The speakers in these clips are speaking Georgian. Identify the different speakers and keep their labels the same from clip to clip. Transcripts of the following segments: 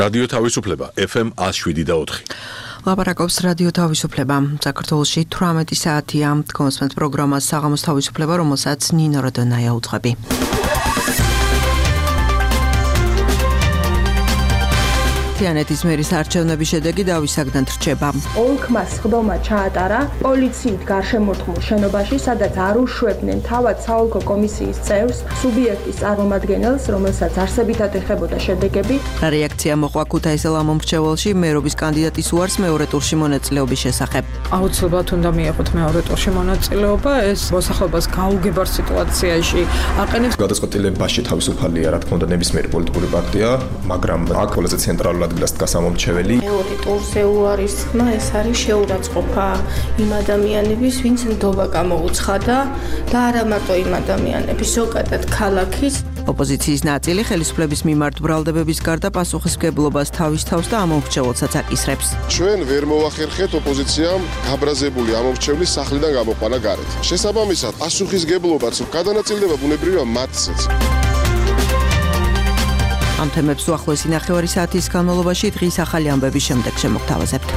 Speaker 1: რადიო თავისუფლება FM 107.4.
Speaker 2: ლაპარაკობს რადიო თავისუფლება. საქართველოში 18 საათია. კონსპენს პროგრამა საღამოს თავისუფლება, რომელსაც ნინო როდონაია უძღვები. თიანეთის მერის არჩევნების შედეგი დავისაგდან რჩება.
Speaker 3: ოლქმა სხდომა ჩაატარა პოლიციით გარშემორტყმულ შენობაში, სადაც არ უშვებდნენ თავად საოლქო კომისიის წევრს, სუბიექტის წარმომადგენელს, რომელსაც არსებითად ეხებოდა შედეგები.
Speaker 2: რეაქცია მოყვა ქუთაისელ ამომრჩეველში მერობის კანდიდატის უარს მეორე ტურში მონაწილეობის შესახებ.
Speaker 4: აუცილებლად უნდა მიიღოთ მეორე ტურში მონაწილეობა, ეს მოსახლეობას გაუგებარ სიტუაციაში აყენებს.
Speaker 5: გადაწყვეტილებაში თავისუფალია, რა თქმა უნდა, ნებისმიერი პოლიტიკური პარტია, მაგრამ აქ ყველაზე ცენტრალურად დგას ამომრჩეველი.
Speaker 6: მეორე ტურზე უარის ხმა ეს არის შეურაცხყოფა იმ ადამიანების, ვინც ნდობა გამოუცხადა და არა მარტო იმ ადამიანების, ზოგადად ქალაქის.
Speaker 2: ოპოზიციის ნაწილი ხელისუფლების მიმართ ბრალდებების გარდა პასუხისმგებლობას თავის თავს და ამომრჩეველსაც აკისრებს.
Speaker 7: ჩვენ ვერ მოვახერხეთ ოპოზიციამ გაბრაზებული ამომრჩევლის სახლიდან გამოყვანა გარეთ. შესაბამისად, პასუხისმგებლობაც გადანაწილდება ბუნებრივია მათზეც.
Speaker 2: ამ თემებს უახლოესი ნახევარი საათის განმავლობაში დღის ახალი ამბების შემდეგ შემოგთავაზებთ.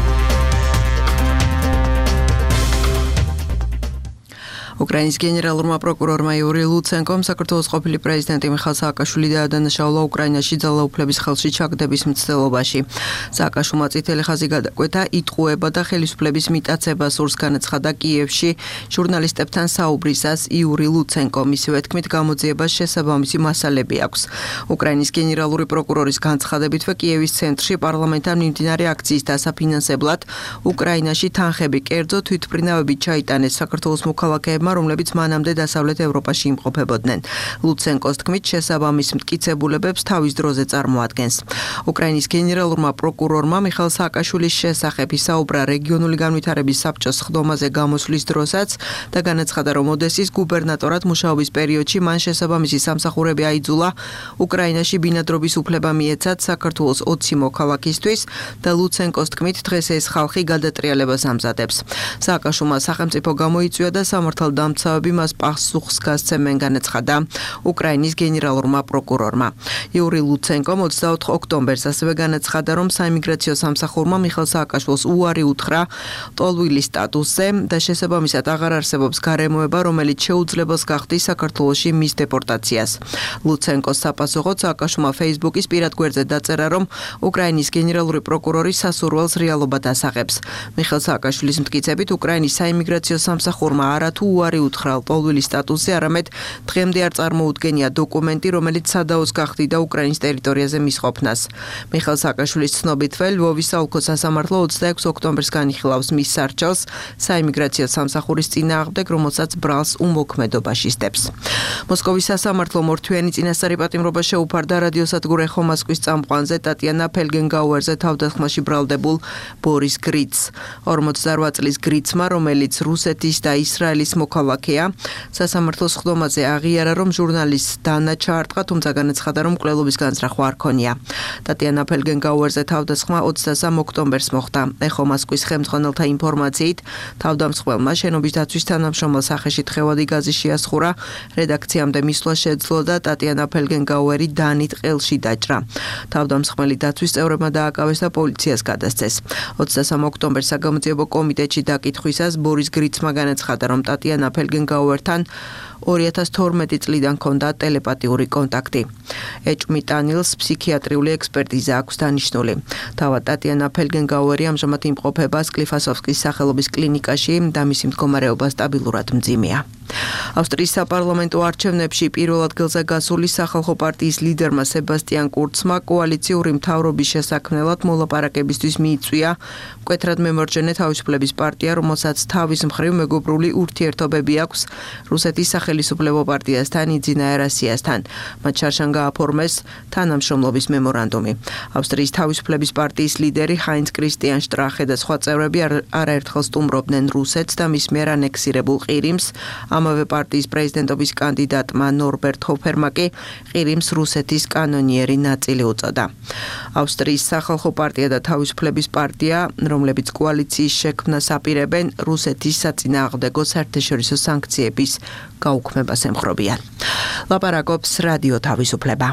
Speaker 2: უკრაინის გენერალურმა პროკურორმა იური ლუცენკომ საქართველოს ყოფილი პრეზიდენტი მიხაილ სააკაშვილი დაადანაშაულა უკრაინაში ძალაუფლების ხელში ჩაგდების მცდელობაში. სააკაშვილმა წითელი ხაზი გადაკვეთა, იტყუება და ხელისუფლების მიტაცებას სურს, განაცხადა კიევში ჟურნალისტებთან საუბრისას იური ლუცენკომ. მისივე თქმით, გამოძიებას შესაბამისი მასალები აქვს. უკრაინის გენერალური პროკურორის განცხადებითვე კიევის ცენტრში პარლამენტთან მიმდინარე აქციის დასაფინანსებლად უკრაინაში თანხები, კერძო თვითმფრინავებით ჩაიტანეს საქართველოს მოქალაქეებმა, რომლებიც მანამდე დასავლეთ ევროპაში იმყოფებოდნენ. ლუცენკოს თქმით, შესაბამის მტკიცებულებებს თავის დროზე წარმოადგენს. უკრაინის გენერალურმა პროკურორმა მიხაილ სააკაშვილის შესახებ ისაუბრა რეგიონული განვითარების საბჭოს სხდომაზე გამოსვლის დროსაც და განაცხადა, რომ ოდესის გუბერნატორად მუშაობის პერიოდში მან შესაბამისი სამსახურები აიძულა უკრაინაში ბინადრობის უფლება მიეცათ საქართველოს 20 მოქალაქისთვის და ლუცენკოს თქმით, დღეს ეს ხალხი გადატრიალებას ამზადებს. სააკაშვილმა სახელმწიფო გამოიწვია და დამცავები მას პასუხს გასცემენ, განაცხადა უკრაინის გენერალურმა პროკურორმა. იური ლუცენკომ 24 ოქტომბერს ასევე განაცხადა, რომ საიმიგრაციო სამსახურმა მიხაილ სააკაშვილს უარი უთხრა ტოლვილი სტატუსზე და შესაბამისად აღარ არსებობს გარემოება, რომელიც შეუძლებელს გახდის საქართველოში მის დეპორტაციას. ლუცენკოს საპასუხოდ სააკაშვილმა Facebook-ის პირად გვერდზე დაწერა, რომ უკრაინის გენერალური პროკურორი სასურველს რეალობად ასაღებს. მიხაილ სააკაშვილის მტკიცებით, უკრაინის საიმიგრაციო სამსახურმა არათუ უარი უთხრა ტოლვილი სტატუსზე, არამედ დღემდე არ წარმოუდგენია დოკუმენტი, რომელიც სადაოს გახდიდა უკრაინის ტერიტორიაზე მის ყოფნას. მიხაილ სააკაშვილის ცნობითვე ლვოვის საოლქო სასამართლო 26 ოქტომბერს განიხილავს მის სარჩელს საიმიგრაციო სამსახურის წინააღმდეგ, რომელსაც ბრალს უმოქმედობაში სდებს. მოსკოვის სასამართლომ ორთვიანი წინასწარი პატიმრობა შეუფარდა რადიოსადგურ ეხო მოსკვის წამყვანზე ტატიანა ფელგენგაუერზე თავდასხმაში ბრალდებულ ბორის გრიცს. 48 წლის გრიცმა, რომელიც რუსეთის და ისრაელის მოქალაქეა, სასამართლოს სხდომაზე აღიარა, რომ ჟურნალისტს დანა ჩაარტყა, თუმცა განაცხადა, რომ მკვლელობის განზრახვა არ ქონია. ტატიანა ფელგენგაუერზე თავდასხმა 23 ოქტომბერს მოხდა. ეხო მოსკვის ხელმძღვანელთა ინფორმაციით, თავდამსხმელმა შენობის დაცვის თანამშრომელ სახეში თხევადი გაზი შეასხურა, რედაქციამდე მისვლა შეძლო და ტატიანა ფელგენგაუერი დანით ყელში დაჭრა. თავდამსხმელი დაცვის წევრებმა დააკავეს და პოლიციას გადასცეს. 23 ოქტომბერს საგამოძიებო კომიტეტში დაკითხვისას ბორის გრიცმა განაცხადა, რომ ტატიანა ფელგენგაუერთან 2012 წლიდან ჰქონდა ტელეპათიური კონტაქტი. ეჭვმიტანილს ფსიქიატრიული ექსპერტიზა აქვს დანიშნული. თავად ტატიანა ფელგენგაუერი ამჟამად იმყოფება სკლიფასოვსკის სახელობის კლინიკაში და მისი მდგომარეობა სტაბილურად მძიმეა. ავსტრიის საპარლამენტო არჩევნებში პირველ ადგილზე გასული სახალხო პარტიის ლიდერმა სებასტიან კურცმა კოალიციური მთავრობის შესაქმნელად მოლაპარაკებისთვის მიიწვია მკვეთრად მემარჯვენე თავისუფლების პარტია, რომელსაც თავის მხრივ მეგობრული ურთიერთობები აქვს რუსეთის სახელისუფლებო პარტიასთან იძინა ერასიასთან. მათ შარშან გააფორმეს თანამშრომლობის მემორანდუმი. ავსტრიის თავისუფლების პარტიის ლიდერი ჰაინც კრისტიან შტრახე და სხვა წევრები არაერთხელ სტუმრობდნენ რუსეთს და მის მიერ ანექსირებულ ყირიმს. ამავე პარტიის პრეზიდენტობის კანდიდატმა ნორბერტ ჰოფერმა კი ყირიმს რუსეთის კანონიერი ნაწილი უწოდა. ავსტრიის სახალხო პარტია და თავისუფლების პარტია, რომლებიც კოალიციის შექმნას აპირებენ, რუსეთის საწინააღმდეგო საერთაშორისო სანქციების გაუქმებას ემხრობიან. ლაპარაკობს რადიო თავისუფლება.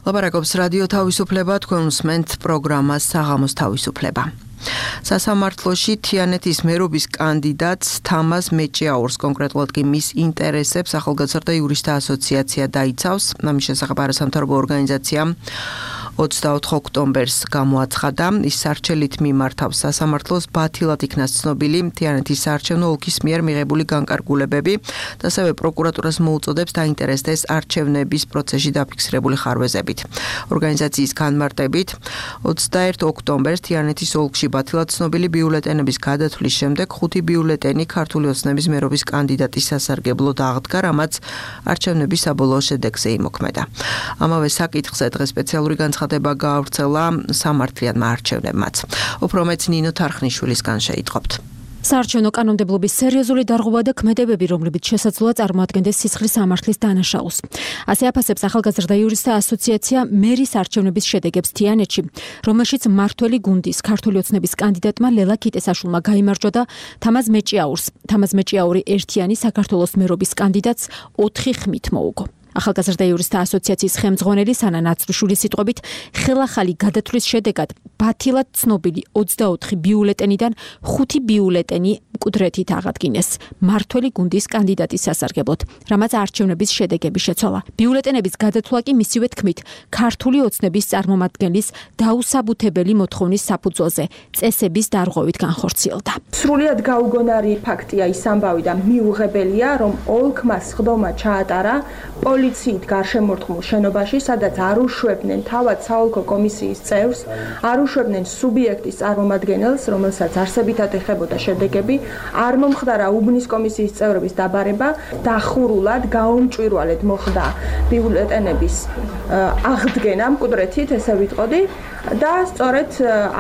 Speaker 2: ლაპარაკობს რადიო თავისუფლება, თქვენ უსმენთ პროგრამას საღამოს თავისუფლება. სასამართლოში თიანეთის მერობის კანდიდატს თამაზ მეჭიაურს, კონკრეტულად კი მის ინტერესებს ახალგაზრდა იურისტთა ასოციაცია დაიცავს. ამის შესახებ არასამთავრობო ორგანიზაციამ 24 ოქტომბერს გამოაცხადა, ის სარჩელით მიმართავს სასამართლოს ბათილად იქნა ცნობილი თიანეთის საარჩევნო ოლქის მიერ მიღებული განკარგულებები და ასევე პროკურატურას მოუწოდებს დაინტერესდეს არჩევნების პროცესში დაფიქსირებული ხარვეზებით. ორგანიზაციის განმარტებით 21 ოქტომბერს თიანეთის ოლქში ბათილად ცნობილი ბიულეტენების გადათვლის შემდეგ 5 ბიულეტენი ქართული ოცნების მერობის კანდიდატის სასარგებლოდ აღდგა, რამაც არჩევნების საბოლოო შედეგზე იმოქმედა. ამავე საკითხზე დღეს სპეციალური განცხადება გაავრცელა სამართლიანმა არჩევნებმაც. უფრო მეც ნინო თარხნიშვილისგან შეიტყობთ.
Speaker 8: საარჩევნო კანონმდებლობის სერიოზული დარღვევა და ქმედებები, რომლებიც შესაძლოა წარმოადგენდეს სისხლის სამართლის დანაშაულს. ასე აფასებს ახალგაზრდა იურისტთა ასოციაცია მერის არჩევნების შედეგებს თიანეთში, რომელშიც მმართველი გუნდის ქართული ოცნების კანდიდატმა ლელა ქიტესაშვილმა გაიმარჯვა და თამაზ მეჭიაურს. თამაზ მეჭიაური ერთიანი საქართველოს მერობის კანდიდატს 4 ხმით მოუგო. ახალგაზრდა იურისტთა ასოციაციის ხელმძღვანელი სანა ნაცრიშვილის სიტყვებით, ხელახალი გადათვლის შედეგად ბათილად ცნობილი 24 ბიულეტენიდან 5 ბიულეტენი მკვდრეთით აღადგინეს მმართველი გუნდის კანდიდატის სასარგებლოდ, რამაც არჩევნების შედეგები შეცვალა. ბიულეტენების გადათვლა კი მისივე თქმით, ქართული ოცნების წარმომადგენლის დაუსაბუთებელი მოთხოვნის საფუძველზე წესების დარღვევით განხორციელდა.
Speaker 3: სრულიად გაუგონარი ფაქტია ის ამბავი და მიუღებელია, რომ ოლქმა სხდომა ჩაატარა პოლიციით გარშემორტყმულ შენობაში, სადაც არ უშვებდნენ თავად საოლქო კომისიის წევრს, არ უშვებდნენ სუბიექტის წარმომადგენელს, რომელსაც არსებითად ეხებოდა შედეგები, არ მომხდარა უბნის კომისიის წევრების დაბარება, დახურულად, გაუმჭვირვალედ მოხდა ბიულეტენების აღდგენა მკვდრეთით, ესე ვიტყოდი, და სწორედ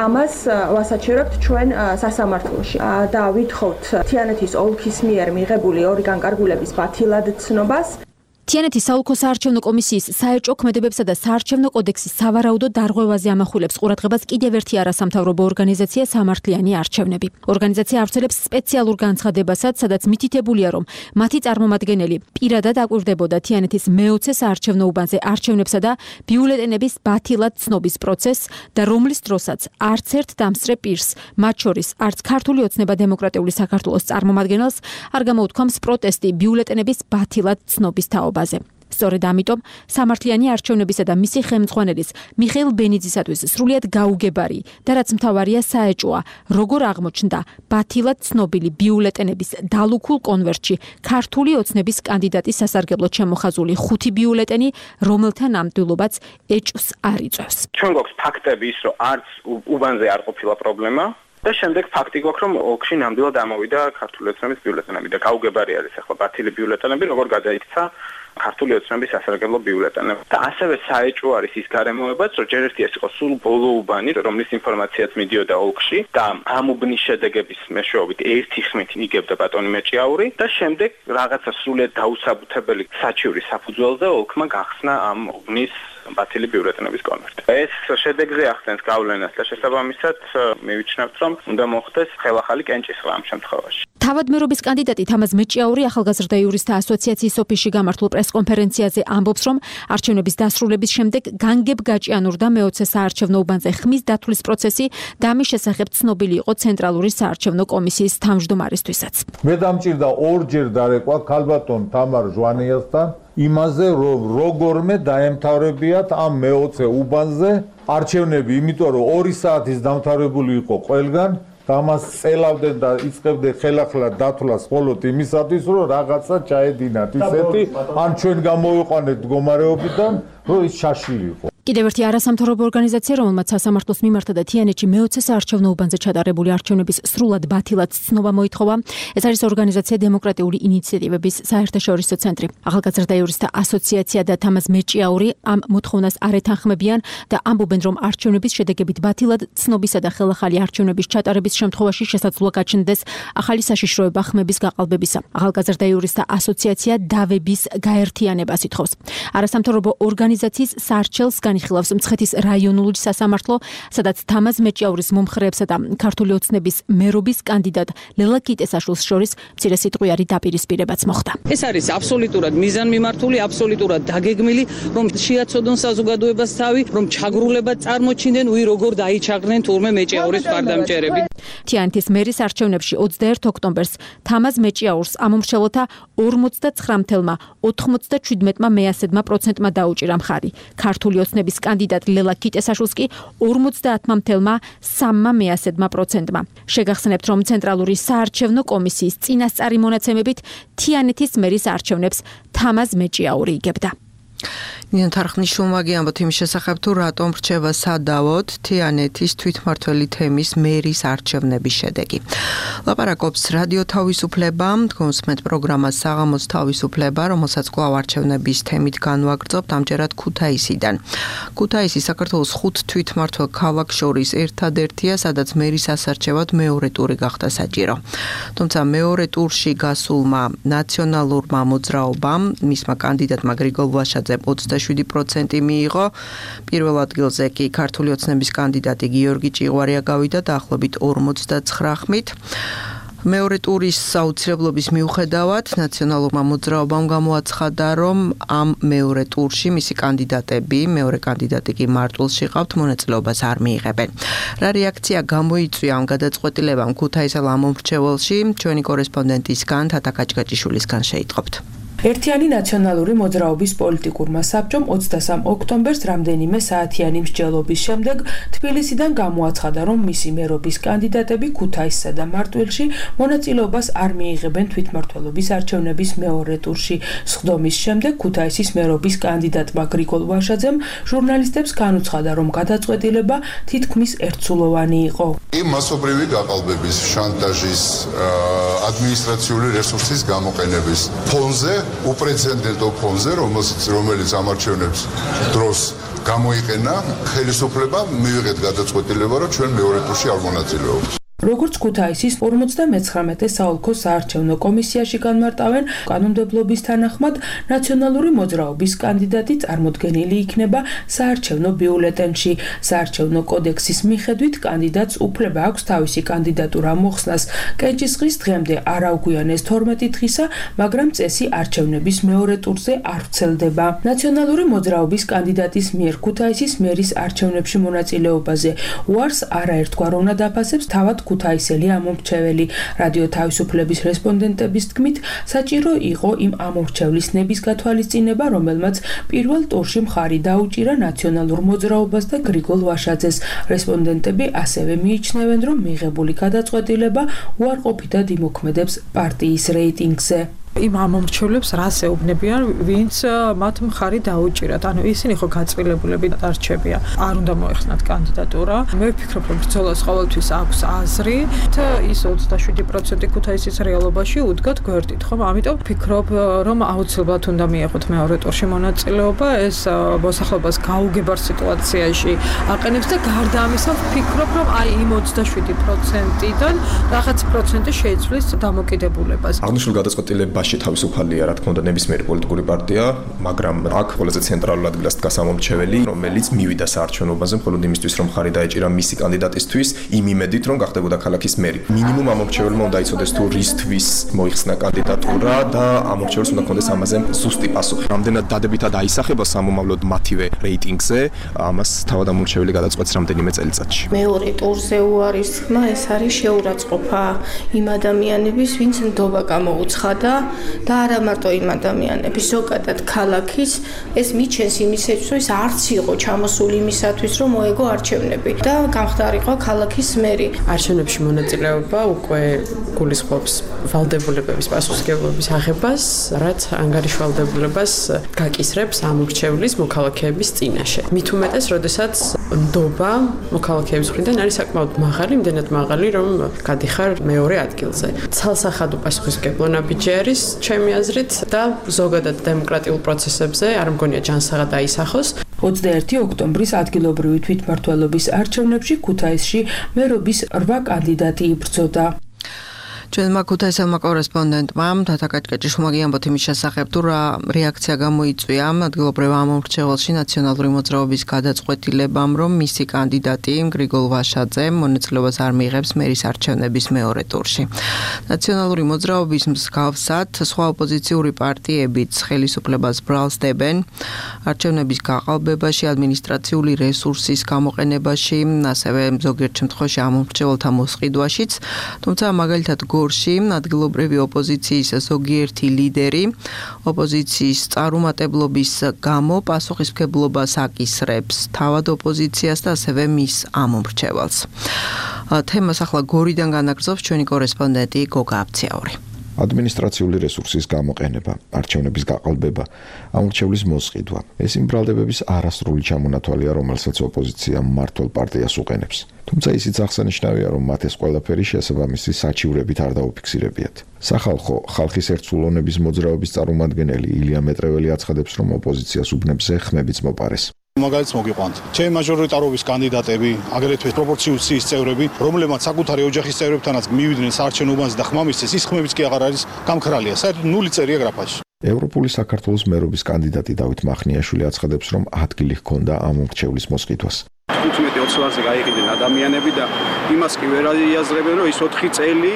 Speaker 3: ამას ვასაჩერებთ ჩვენ სასამართლოში და ვითხოვთ თიანეთის ოლქის მიერ მიღებული 2 განკარგულების ბათილად ცნობას.
Speaker 8: თიანეთის საოლქო საარჩევნო კომისიის საერჭო ქმედებებსა და საარჩევნო კოდექსის სავარაუდო დარღვევაზე ამახვილებს ყურადღებას კიდევ ერთი არასამთავრობო ორგანიზაცია სამართლიანი არჩევნები. ორგანიზაცია ავრცელებს სპეციალურ განცხადებასაც, სადაც მითითებულია, რომ მათი წარმომადგენელი პირადად აკვირდებოდა თიანეთის მე-20 საარჩევნო უბანზე არჩევნებსა და ბიულეტენების ბათილად ცნობის პროცესს და რომლის დროსაც არც ერთ დამსწრე პირს, მათ შორის არც ქართული ოცნება დემოკრატიული საქართველოს წარმომადგენელს არ გამოუთქვამს პროტესტი ბიულეტენების ბათილად ცნობის თაობაზე. სწორედ ამიტომ სამართლიანი არჩევნებისა და მისი ხელმძღვანელის მიხეილ ბენიძისათვის სრულიად გაუგებარი და რაც მთავარია საეჭვოა, როგორ აღმოჩნდა ბათილად ცნობილი ბიულეტენების დალუქულ კონვერტში ქართული ოცნების კანდიდატის სასარგებლოდ შემოხაზული 5 ბიულეტენი, რომელთა ნამდვილობაც ეჭვს არ იწვევს.
Speaker 9: ჩვენ გვაქვს ფაქტები ის, რომ არც უბანზე არ ყოფილა პრობლემა. და შემდეგ ფაქტი გვაქვს, რომ ოლქში ნამდვილად ამოვიდა ქართული ოცნების ბიულეტენები და გაუგებარი არის ახლა ბათილი ბიულეტენები, როგორ გადაიქცა ქართული ოცნების სასარგებლო ბიულეტენები. და ასევე საეჭვო არის ის გარემოებაც, რომ ჯერ ერთი ეს იყო სულ ბოლო უბანი, რომლის ინფორმაციაც მიდიოდა ოლქში და ამ უბნის შედეგების მეშვეობით 1 ხმით იგებდა ბატონი მეჭიაური და შემდეგ რაღაცა სრულიად დაუსაბუთებელი საჩივრის საფუძველზე ოლქმა გახსნა ამ უბნის ბათილი ბიულეტენების კონვერტი. ეს შედეგზე ახდენს გავლენას და შესაბამისად მივიჩნევთ, რომ უნდა მოხდეს ხელახალი კენჭისყრა ამ შემთხვევაში.
Speaker 8: თავად მერობის კანდიდატი თამაზ მეჭიაური ახალგაზრდა იურისტთა ასოციაციის ოფისში გამართულ პრესკონფერენციაზე ამბობს, რომ არჩევნების დასრულების შემდეგ განგებ გაჭიანურდა მე-20 საარჩევნო უბანზე ხმის დათვლის პროცესი და ამის შესახებ ცნობილი იყო ცენტრალური საარჩევნო კომისიის თავმჯდომარისთვისაც.
Speaker 10: მე დამჭირდა 2-ჯერ დარეკვა ქალბატონ თამარ ჟვანიასთან იმაზე, რომ როგორმე დაემთავრებიათ ამ მე-20 უბანზე არჩევნები, იმიტომ რომ 2 საათის დამთავრებული იყო ყველგან და ამას წელავდნენ და იწყებდნენ ხელახლა დათვლას მხოლოდ იმისათვის, რომ რაღაცა ჩაედინათ ისეთი, ან ჩვენ გამოვიყვანეთ მდგომარეობიდან, რომ ის შაშილი იყო.
Speaker 8: კიდევ ერთი არასამთავრობო ორგანიზაცია, რომელმაც სასამართლოს მიმართა და თიანეთში მე-20 საარჩევნო უბანზე ჩატარებული არჩევნების სრულად ბათილად ცნობა მოითხოვა. ეს არის ორგანიზაცია დემოკრატიული ინიციატივების საერთაშორისო ცენტრი. ახალგაზრდა იურისტთა ასოციაცია და თამაზ მეჭიაური ამ მოთხოვნას არ ეთანხმებიან და ამბობენ, რომ არჩევნების შედეგებით ბათილად ცნობისა და ხელახალი არჩევნების ჩატარების შემთხვევაში შესაძლოა გაჩნდეს ახალი საშიშროება ხმების გაყალბებისა. ახალგაზრდა იურისტთა ასოციაცია დავების გაერთიანებას ითხოვს. არასამთავრობო ორგანიზაციის სარჩელს განიხილავს მცხეთის რაიონული სასამართლო, სადაც თამაზ მეჭიაურის მომხრეებსა და ქართული ოცნების მერობის კანდიდატ ლელა კიტესაშვილს შორის მცირე სიტყვიერი დაპირისპირებაც მოხდა.
Speaker 11: ეს არის აბსოლუტურად მიზანმიმართული, აბსოლუტურად დაგეგმილი, რომ შეაცოდონ საზოგადოებას თავი, რომ ჩაგრულებად წარმოჩინდნენ, როგორ დაიჩაგრნენ თურმე მეჭიაურის მხარდამჭერები.
Speaker 8: თიანეთის მერის არჩევნებში 21 ოქტომბერს თამაზ მეჭიაურს ამომრჩევლთა 49,97%-მა მეასედმა დაუჭირა მხარი. ქართული ოცნების კანდიდატ ლელა კიტესაშვილს კი 50,3%-მა. შეგახსენებთ, რომ ცენტრალური საარჩევნო კომისიის წინასწარი მონაცემებით თიანეთის მერის არჩევნებს თამაზ მეჭიაური იგებდა.
Speaker 2: ნინო თარხნიშვილმა გიამბოთ იმის შესახებ, თუ რატომ რჩება სადავოდ თიანეთის თვითმმართველი თემის მერის არჩევნების შედეგი. ლაპარაკობს რადიო თავისუფლება, გონსმენთ პროგრამა საღამოს თავისუფლება, რომელსაც კვლავ არჩევნების თემით განვაგრძობთ ამჯერად ქუთაისიდან. ქუთაისი საქართველოს 5 თვითმმართველ ქალაქს შორის ერთადერთია, სადაც მერის ასარჩევად მეორე ტური გახდა საჭირო. თუმცა მეორე ტურში გასულმა ნაციონალურმა მოძრაობამ, მისმა კანდიდატმა გრიგოლ ვაშაძემ 27% მიიღო. პირველ ადგილზე კი ქართული ოცნების კანდიდატი გიორგი ჭიღვარია გავიდა დაახლოებით 49-ით. მეორე ტურის საუცრებლობის მიუხედავად ნაციონალურმა მოძრაობამ გამოაცხადა, რომ ამ მეორე ტურში მისი კანდიდატები, მეორე კანდიდატი კი მარტვილში ყავთ, მონაწილეობას არ მიიღებენ. რა რეაქცია გამოიწვია ამ გადაწყვეტილებამ ქუთაისელ ამომრჩეველში? ჩვენი კორესპონდენტისგან თათა კაჭკაჭიშვილისგან შეიტყობთ.
Speaker 12: ერთიანი ნაციონალური მოძრაობის პოლიტიკურმა საბჭომ 23 ოქტომბერს რამდენიმე საათიანი მსჯელობის შემდეგ თბილისიდან გამოაცხადა, რომ მისი მერობის კანდიდატები ქუთაისსა და მარტვილში მონაწილეობას არ მიიღებენ თვითმმართველობის არჩევნების მეორე ტურში. სხდომის შემდეგ ქუთაისის მერობის კანდიდატმა გრიგოლ ვაშაძემ ჟურნალისტებს განუცხადა, რომ გადაწყვეტილება თითქმის ერთსულოვანი იყო.
Speaker 13: იმ მასობრივი გაყალბების, შანტაჟის, ადმინისტრაციული რესურსის გამოყენების ფონზე, უპრეცედენტო ფონზე, რომელიც ამარჩევნებს დროს გამოიყენა, ხელისუფლება მივიღეთ გადაწყვეტილება, რომ ჩვენ მეორე ტურში არ მონაწილეობთ.
Speaker 12: როგორც ქუთაისის 59 საოლქო საარჩევნო კომისიაში განმარტავენ, კანონმდებლობის თანახმად ნაციონალური მოძრაობის კანდიდატი წარმოდგენილი იქნება საარჩევნო ბიულეტენში. საარჩევნო კოდექსის მიხედვით კანდიდატს უფლება აქვს თავისი კანდიდატურა მოხსნას კენჭისყრის დღემდე არ აუგვიანეს 12 დღისა, მაგრამ წესი არჩევნების მეორე ტურზე არ ვრცელდება. ნაციონალური მოძრაობის კანდიდატის მიერ ქუთაისის მერის არჩევნებში მონაწილეობაზე უარს არაერთგვარ უნდა დაფასებს თავად ქუთაისელი ამომრჩეველი. რადიო თავისუფლების რესპონდენტების თქმით, საჭირო იყო იმ ამომრჩევლის ნების გათვალისწინება, რომელმაც პირველ ტურში მხარი დაუჭირა ნაციონალურ მოძრაობას და გრიგოლ ვაშაძეს. რესპონდენტები ასევე მიიჩნევენ, რომ მიღებული გადაწყვეტილება უარყოფითად იმოქმედებს პარტიის რეიტინგზე.
Speaker 4: იმ ამომრჩევლებს რას ეუბნებიან, ვინც მათ მხარი დაუჭირათ. ანუ ისინი ხო გაწყვილებულები დარჩებიან. არ უნდა მოეხსნათ კანდიდატურა. მე ვფიქრობ, რომ ბრძოლას ყოველთვის აქვს აზრი. ის 27% ქუთაისის რეალობაში უდგათ გვერდით, ხომ? ამიტომ ვფიქრობ, რომ აუცილებლად უნდა მიეღოთ მეორე ტურში მონაწილეობა. ეს მოსახლეობას გაუგებარ სიტუაციაში აყენებს და გარდა ამისა ვფიქრობ, რომ აი იმ 27%-დან რაღაც პროცენტი შეიცვლის დამოკიდებულებას.
Speaker 5: აღნიშნულ გადაწყვეტილებას თავისუფალია, რა თქმა უნდა, ნებისმიერი პოლიტიკური პარტია, მაგრამ აქ ყველაზე ცენტრალურ ადგილას დგას ამომრჩეველი, რომელიც მივიდა საარჩევნოებაზე მხოლოდ იმისთვის, რომ ხარი დაეჭირა მისი კანდიდატისთვის, იმ იმედით, რომ გახდებოდა ქალაქის მერი. მინიმუმ ამომრჩეველმა უნდა იცოდეს, თუ რისთვის მოიხსნა კანდიდატურა და ამომრჩეველს უნდა ქონდეს ამაზე ზუსტი პასუხი. რამდენად დადებითად აისახება სამომავლოდ მათივე რეიტინგზე, ამას თავად ამომრჩეველი გადაწყვეტს რამდენიმე წელიწადში.
Speaker 6: მეორე ტურზე უარის თქმა, ეს არის შეურაცხყოფა იმ ადამიანების, ვინც ნდობა გამოუცხადა და არა მარტო იმ ადამიანების, ზოგადად ქალაქის, ეს მიჩენს იმისათვის, რომ ეს არც იყო ჩამოსული იმისათვის, რომ მოეგო არჩევნები და გამხდარიყო ქალაქის მერი.
Speaker 14: არჩევნებში მონაწილეობა უკვე გულისხმობს ვალდებულებების პასუხისმგებლობის აღებას, რაც ანგარიშვალდებულებას გაკისრებს ამორჩევლის მოქალაქეების წინაშე. მით უმეტეს, როდესაც ნდობა მოქალაქეების მხრიდან არის საკმაოდ მაღალი, იმდენად მაღალი, რომ გადიხარ მეორე ადგილზე. ცალსახადო პასუხისმგებლო ნაბიჯი არის ჩემი აზრით და ზოგადად დემოკრატიულ პროცესებზე არ მგონია ჯანსაღად აისახოს.
Speaker 12: 21 ოქტომბრის ადგილობრივი თვითმმართველობის არჩევნებში ქუთაისში მერობის 8 კანდიდატი იბრძოდა.
Speaker 2: ჩვენმა ქუთაისელმა კორესპონდენტმა თათა კაჭკაჭიშვილმა გიამბოთ იმის შესახებ, თუ რა რეაქცია გამოიწვია ადგილობრივ ამომრჩეველში ნაციონალური მოძრაობის გადაწყვეტილებამ, რომ მისი კანდიდატი გრიგოლ ვაშაძე მონაწილეობას არ მიიღებს მერის არჩევნების მეორე ტურში. ნაციონალური მოძრაობის მსგავსად სხვა ოპოზიციური პარტიებიც ხელისუფლებას ბრალს დებენ არჩევნების გაყალბებაში, ადმინისტრაციული რესურსის გამოყენებაში, ასევე ზოგიერთ შემთხვევაში ამომრჩეველთა მოსყიდვაშიც, თუმცა მაგალითად გორში ადგილობრივი ოპოზიციის ზოგიერთი ლიდერი ოპოზიციის წარუმატებლობის გამო პასუხისმგებლობას აკისრებს თავად ოპოზიციას და ასევე მის ამომრჩეველს. თემას ახლა გორიდან განაგრძობს ჩვენი კორესპონდენტი გოგა აბციაური.
Speaker 15: ადმინისტრაციული რესურსის გამოყენება, არჩევნების გაყალბება, ამორჩევლის მოსყიდვა. ეს იმ ბრალდებების არასრული ჩამონათვალია, რომელსაც ოპოზიცია მმართველ პარტიას უყენებს. თუმცა ისიც აღსანიშნავია, რომ მათ ეს ყველაფერი შესაბამისი საჩივრებით არ დაუფიქსირებიათ. სახალხო ხალხის ერთსულოვნების მოძრაობის წარმომადგენელი ილია მეტრეველი აცხადებს, რომ ოპოზიციას უბნებზე ხმებიც მოპარეს.
Speaker 16: მაგალითს მოგიყვანთ. ჩემი მაჟორიტარობის კანდიდატები, აგრეთვე პროპორციის წევრები, რომლებმაც საკუთარი ოჯახის წევრებთანაც მივიდნენ საარჩევნო უბანზე და ხმა მისცეს, ის ხმებიც კი აღარ არის გამქრალია. საერთოდ 0 წერია გრაფაში.
Speaker 15: ევროპული საქართველოს მერობის კანდიდატი დავით მახნიაშვილი აცხადებს, რომ ადგილი ჰქონდა ამომრჩევლის მოსყიდვას.
Speaker 17: 15-20 ლარზე გაიყიდნენ ადამიანები და იმას კი ვერ იაზრებენ, რომ ის 4 წელი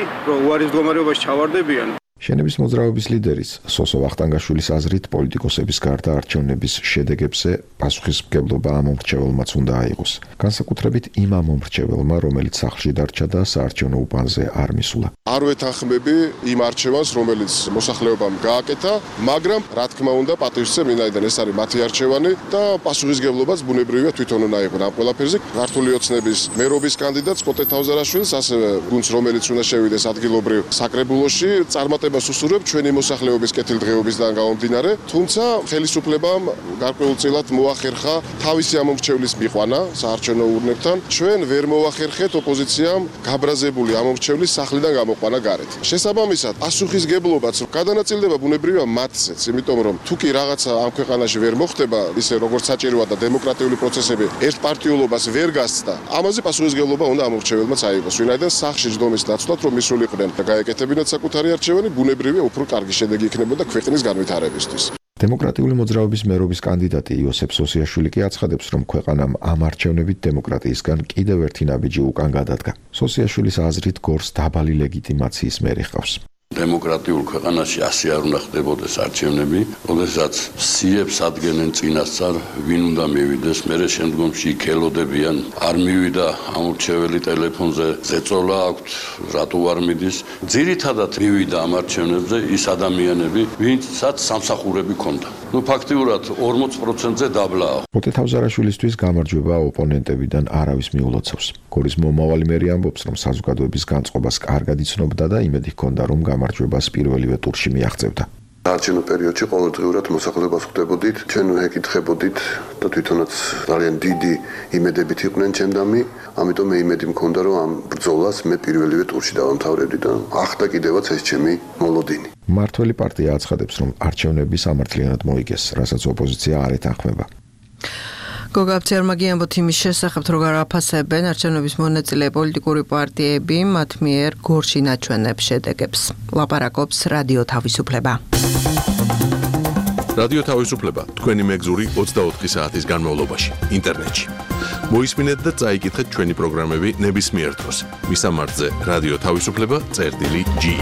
Speaker 17: უარის მდგომარეობაში ჩავარდებიან.
Speaker 15: შენების მოძრაობის ლიდერის სოსო ვახტანგაშვილის აზრით პოლიტიკოსების გარდა არჩევნების შედეგებზე პასუხისმგებლობა ამომრჩეველმაც უნდა აიღოს. განსაკუთრებით იმ ამომრჩეველმა, რომელიც სახლში დარჩა და საარჩევნო უბანზე არ მისულა.
Speaker 7: არ ვეთანხმები იმ არჩევანს, რომელიც მოსახლეობამ გააკეთა, მაგრამ რა თქმა უნდა პატივისცემ, ვინაიდან ეს არის მათი არჩევანი და პასუხისმგებლობაც ბუნებრივია თვითონ უნდა აიღონ ამ ყველაფერზე. ქართული ოცნების მერობის კანდიდატს კოტე თავზარაშვილს, ასევე გუნდს, რომელიც უნდა შევიდეს ადგილობრივ საკრებულოში, წარმატებას უსურვებ ჩვენი მოსახლეობის კეთილდღეობისგან გამომდინარე, თუმცა ხელისუფლებამ გარკვეულწილად მოახერხა თავისი ამომრჩევლის მიყვანა საარჩევნო ურნებთან. ჩვენ ვერ მოახერხეთ ოპოზიციამ გაბრაზებული ამომრჩევლის სახლიდან გამოყვანა გარეთ. შესაბამისად, პასუხისგებლობაც გადანაწილდება ბუნებრივია მათზეც, იმიტომ რომ თუ კი რაღაცა ამ ქვეყანაში ვერ მოხდება, ისე როგორც საჭიროა და დემოკრატიული პროცესები ერთპარტიულობას ვერ გასცდა, ამაზე პასუხისგებლობა უნდა ამომრჩეველმაც აიღოს. ვინაიდან სახლში ჯდომის დაცვად რომ მისულიყვნენ და გაეკეთებინათ საკუთარი არჩევანი, ბუნებრივია უფრო კარგი შედეგი იქნებოდა ქვეყნის განვითარებისთვის.
Speaker 15: დემოკრატიული მოძრაობის მერობის კანდიდატი იოსებ სოსიაშვილი კი აცხადებს, რომ ქვეყანამ ამ არჩევნებით დემოკრატიისგან კიდევ ერთი ნაბიჯი უკან გადადგა. სოსიაშვილის აზრით გორს დაბალი ლეგიტიმაციის მერი ჰყავს.
Speaker 18: დემოკრატიულ ქვეყანაში ასე არ უნდა ხდებოდეს არჩევნები, როდესაც სიებს ადგენენ წინასწარ, ვინ უნდა მივიდეს, მერე შემდგომში იკელოდებიან, არ მივიდა ამორჩეველი ტელეფონზე, ზეწოლა აქვთ, რატო არ მიდის. ძირითადად მივიდა ამ არჩევნებზე ის ადამიანები, ვინცაც სამსახურები ჰქონდა. ფაქტიურად 40%-ზე დაბლაა.
Speaker 15: კოტე თავზარაშვილისთვის გამარჯვება ოპონენტებიდან არავის მიულოცავს. გორის მომავალი მერი ამბობს, რომ საზოგადოების განწყობას კარგად იცნობდა და იმედი ჰქონდა, რომ გამარჯვებას პირველივე ტურში მიაღწევდა.
Speaker 19: არჩევნო პერიოდში ყოველდღიურად მოსახლეობას ხვდებოდით, ჩვენ ეკითხებოდით და თვითონაც ძალიან დიდი იმედებით იყვნენ ჩემდამი, ამიტომ მე იმედი მქონდა, რომ ამ ბრძოლას მე პირველივე ტურში დავამთავრებდი და ახლა კიდევაც ეს ჩემი მოლოდინი.
Speaker 15: მმართველი პარტია აცხადებს, რომ არჩევნები სამართლიანად მოიგეს, რასაც ოპოზიცია არ ეთანხმება.
Speaker 2: გოგა აბციაურმა გიამბოთ იმის შესახებ, რომ გააფასებენ არჩევნების მონაწილე პოლიტიკური პარტიები მათ მიერ გორში ნაჩვენებ შედეგებს. ლაპარაკობს რადიო თავისუფლება.
Speaker 1: რადიო თავისუფლება თქვენი მეგზური 24 საათის განმავლობაში ინტერნეტში. მოისმინეთ და წაიკითხეთ ჩვენი პროგრამები ნებისმიერ დროს. მისამართზე რადიო თავისუფლება.ge.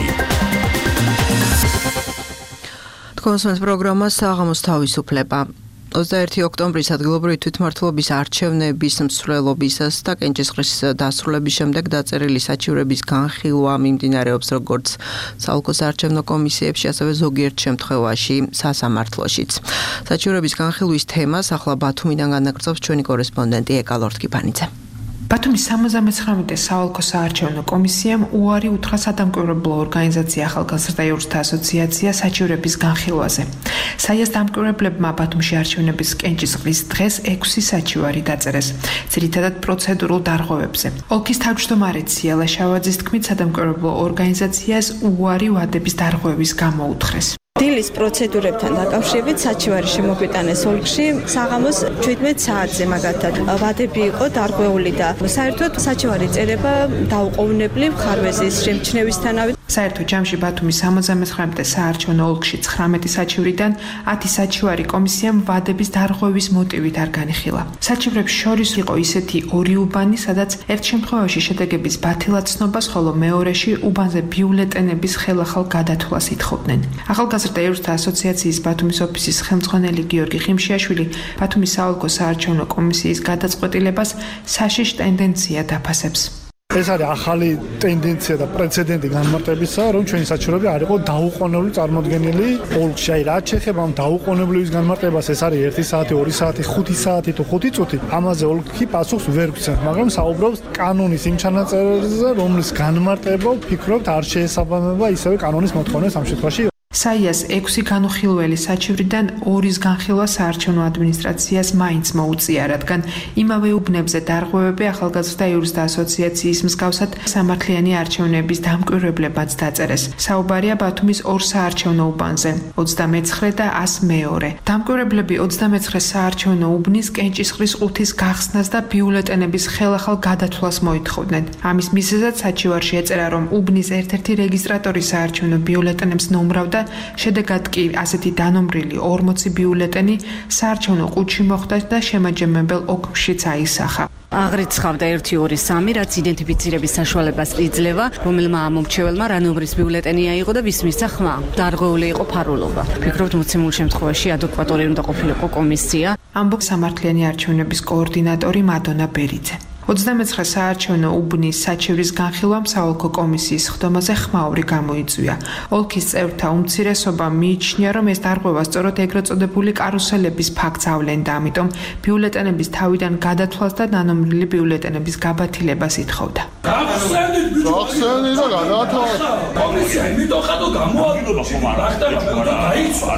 Speaker 2: თქვენს პროგრამა საღამოს თავისუფლება. 21 ოქტომბრის ადგილობრივი თვითმმართველობის არჩევნების მსვლელობისას და კენჭისყრის დასრულების შემდეგ დაწერილი საჩივრების განხილვა მიმდინარეობს როგორც საოლქო საარჩევნო კომისიებში, ასევე ზოგიერთ შემთხვევაში სასამართლოშიც. საჩივრების განხილვის თემას ახლა ბათუმიდან განაგრძობს ჩვენი კორესპონდენტი ეკა ლორთქიფანიძე.
Speaker 20: ბათუმის 79 საოლქო საარჩევნო კომისიამ უარი უთხრა სადამკვირვებლო ორგანიზაცია ახალგაზრდა იურისტთა ასოციაცია საჩივრების განხილვაზე. საიას დამკვირვებლებმა ბათუმში არჩევნების კენჭისყრის დღეს 6 საჩივარი დაწერეს, ძირითადად პროცედურულ დარღვევებზე. ოლქის თავმჯდომარე ციალა შავაძის თქმით, სადამკვირვებლო ორგანიზაციას უარი ვადების დარღვევის გამო უთხრეს.
Speaker 21: დილის პროცედურებთან დაკავშირებით საჩივარი შემოგვიტანეს ოლქში საღამოს 17 საათზე მაგათად ვადები იყო დარღვეული და საერთოდ საჩივარი წერება დაუყოვნებლივ ხარვეზის შემჩნევისთანავით
Speaker 20: საერთო ჯამში ბათუმის 79 საარჩევნო ოლქში 19 საჩივრიდან 10 საჩივარი კომისიამ ვადების დარღვევის მოტივით არ განიხილა. საჩივრებს შორის იყო ისეთი ორი უბანი, სადაც ერთ შემთხვევაში შედეგების ბათილაცნობას, ხოლო მეორეში უბანზე ბიულეტენების ხელახალ გადათვლას ითხოვდნენ. ახალგაზრდა ევრთა ასოციაციის ბათუმის ოფისის ხელმძღვანელი გიორგი ხიმშიაშვილი ბათუმის საოლქო საარჩევნო კომისიის გადაწყვეტილებას საშიშ ტენდენციად აფასებს.
Speaker 3: ეს არის ახალი ტენდენცია და პრეცედენტი განმარტებისა, რომ ჩვენი საჩივრები არ იყო დაუყოვნებლივ წარმოდგენილი ოლქში. აი, რაც შეეხება ამ დაუყოვნებლივის განმარტებას, ეს არის 1 საათი, 2 საათი, 5 საათი თუ 5 წუთი. ამაზე ოლქი პასუხს ვერ გვცემს, მაგრამ საუბრობს კანონის იმ ჩანაწერზე, რომლის განმარტება ვფიქრობთ არ შეესაბამება ისევე კანონის მოთხოვნას ამ შემთხვევაში.
Speaker 20: საიას 6 განუხილველი საჩივრიდან 2-ის განხილვა საარჩევნო ადმინისტრაციას მაინც მოუწია, რადგან იმავე უბნებზე დარღვევები ახალგაზრდა იურისტთა ასოციაციის მსგავსად სამართლიანი არჩევნების დამკვირვებლებმაც დაწერეს. საუბარია ბათუმის 2 საარჩევნო უბანზე, 29 და 102. დამკვირვებლები 29 საარჩევნო უბნის კენჭისყრის ყუთის გახსნას და ბიულეტენების ხელახალ გადათვლას მოითხოვდნენ. ამის მიზეზად საჩივარში ეწერა, რომ უბნის ერთ-ერთი რეგისტრატორი საარჩევნო ბიულეტენებს ნომრავდა. შედეგად კი ასეთი დანომრილი 40 ბიულეტენი საარჩევნო ყუთში მოხვდა და შემაჯამებელ ოკშიც აისახა.
Speaker 22: აღრიცხავდა 1-2-3, რაც იდენტიფიცირების საშუალებას იძლევა, რომელმა ამომრჩეველმა რა ნომრის ბიულეტენი აიღო და ვის მისცა ხმა. დარღვეული იყო ფარულობა. ფიქრობთ, მოცემულ შემთხვევაში ადეკვატური უნდა ყოფილიყო კომისია.
Speaker 20: ამბობს სამართლიანი არჩევნების კოორდინატორი მადონა ბერიძე. 29 საარჩევნო უბნის საჩივრის განხილვამ საოლქო კომისიის ხდომაზე ხმაური გამოიწვია. ოლქის წევრთა უმცირესობა მიიჩნია, რომ ეს დარღვევა სწორედ ეგრეთ წოდებული კარუსელების ფაქტს ავლენდა, ამიტომ ბიულეტენების თავიდან გადათვლას და დანომრილი ბიულეტენების გაბათილებას ითხოვდა.
Speaker 3: გახსენდით და გადაათავაზეთ.
Speaker 23: კომისია იმიტომ ხადო გამოადგინა ხომ არა? დაიცვა.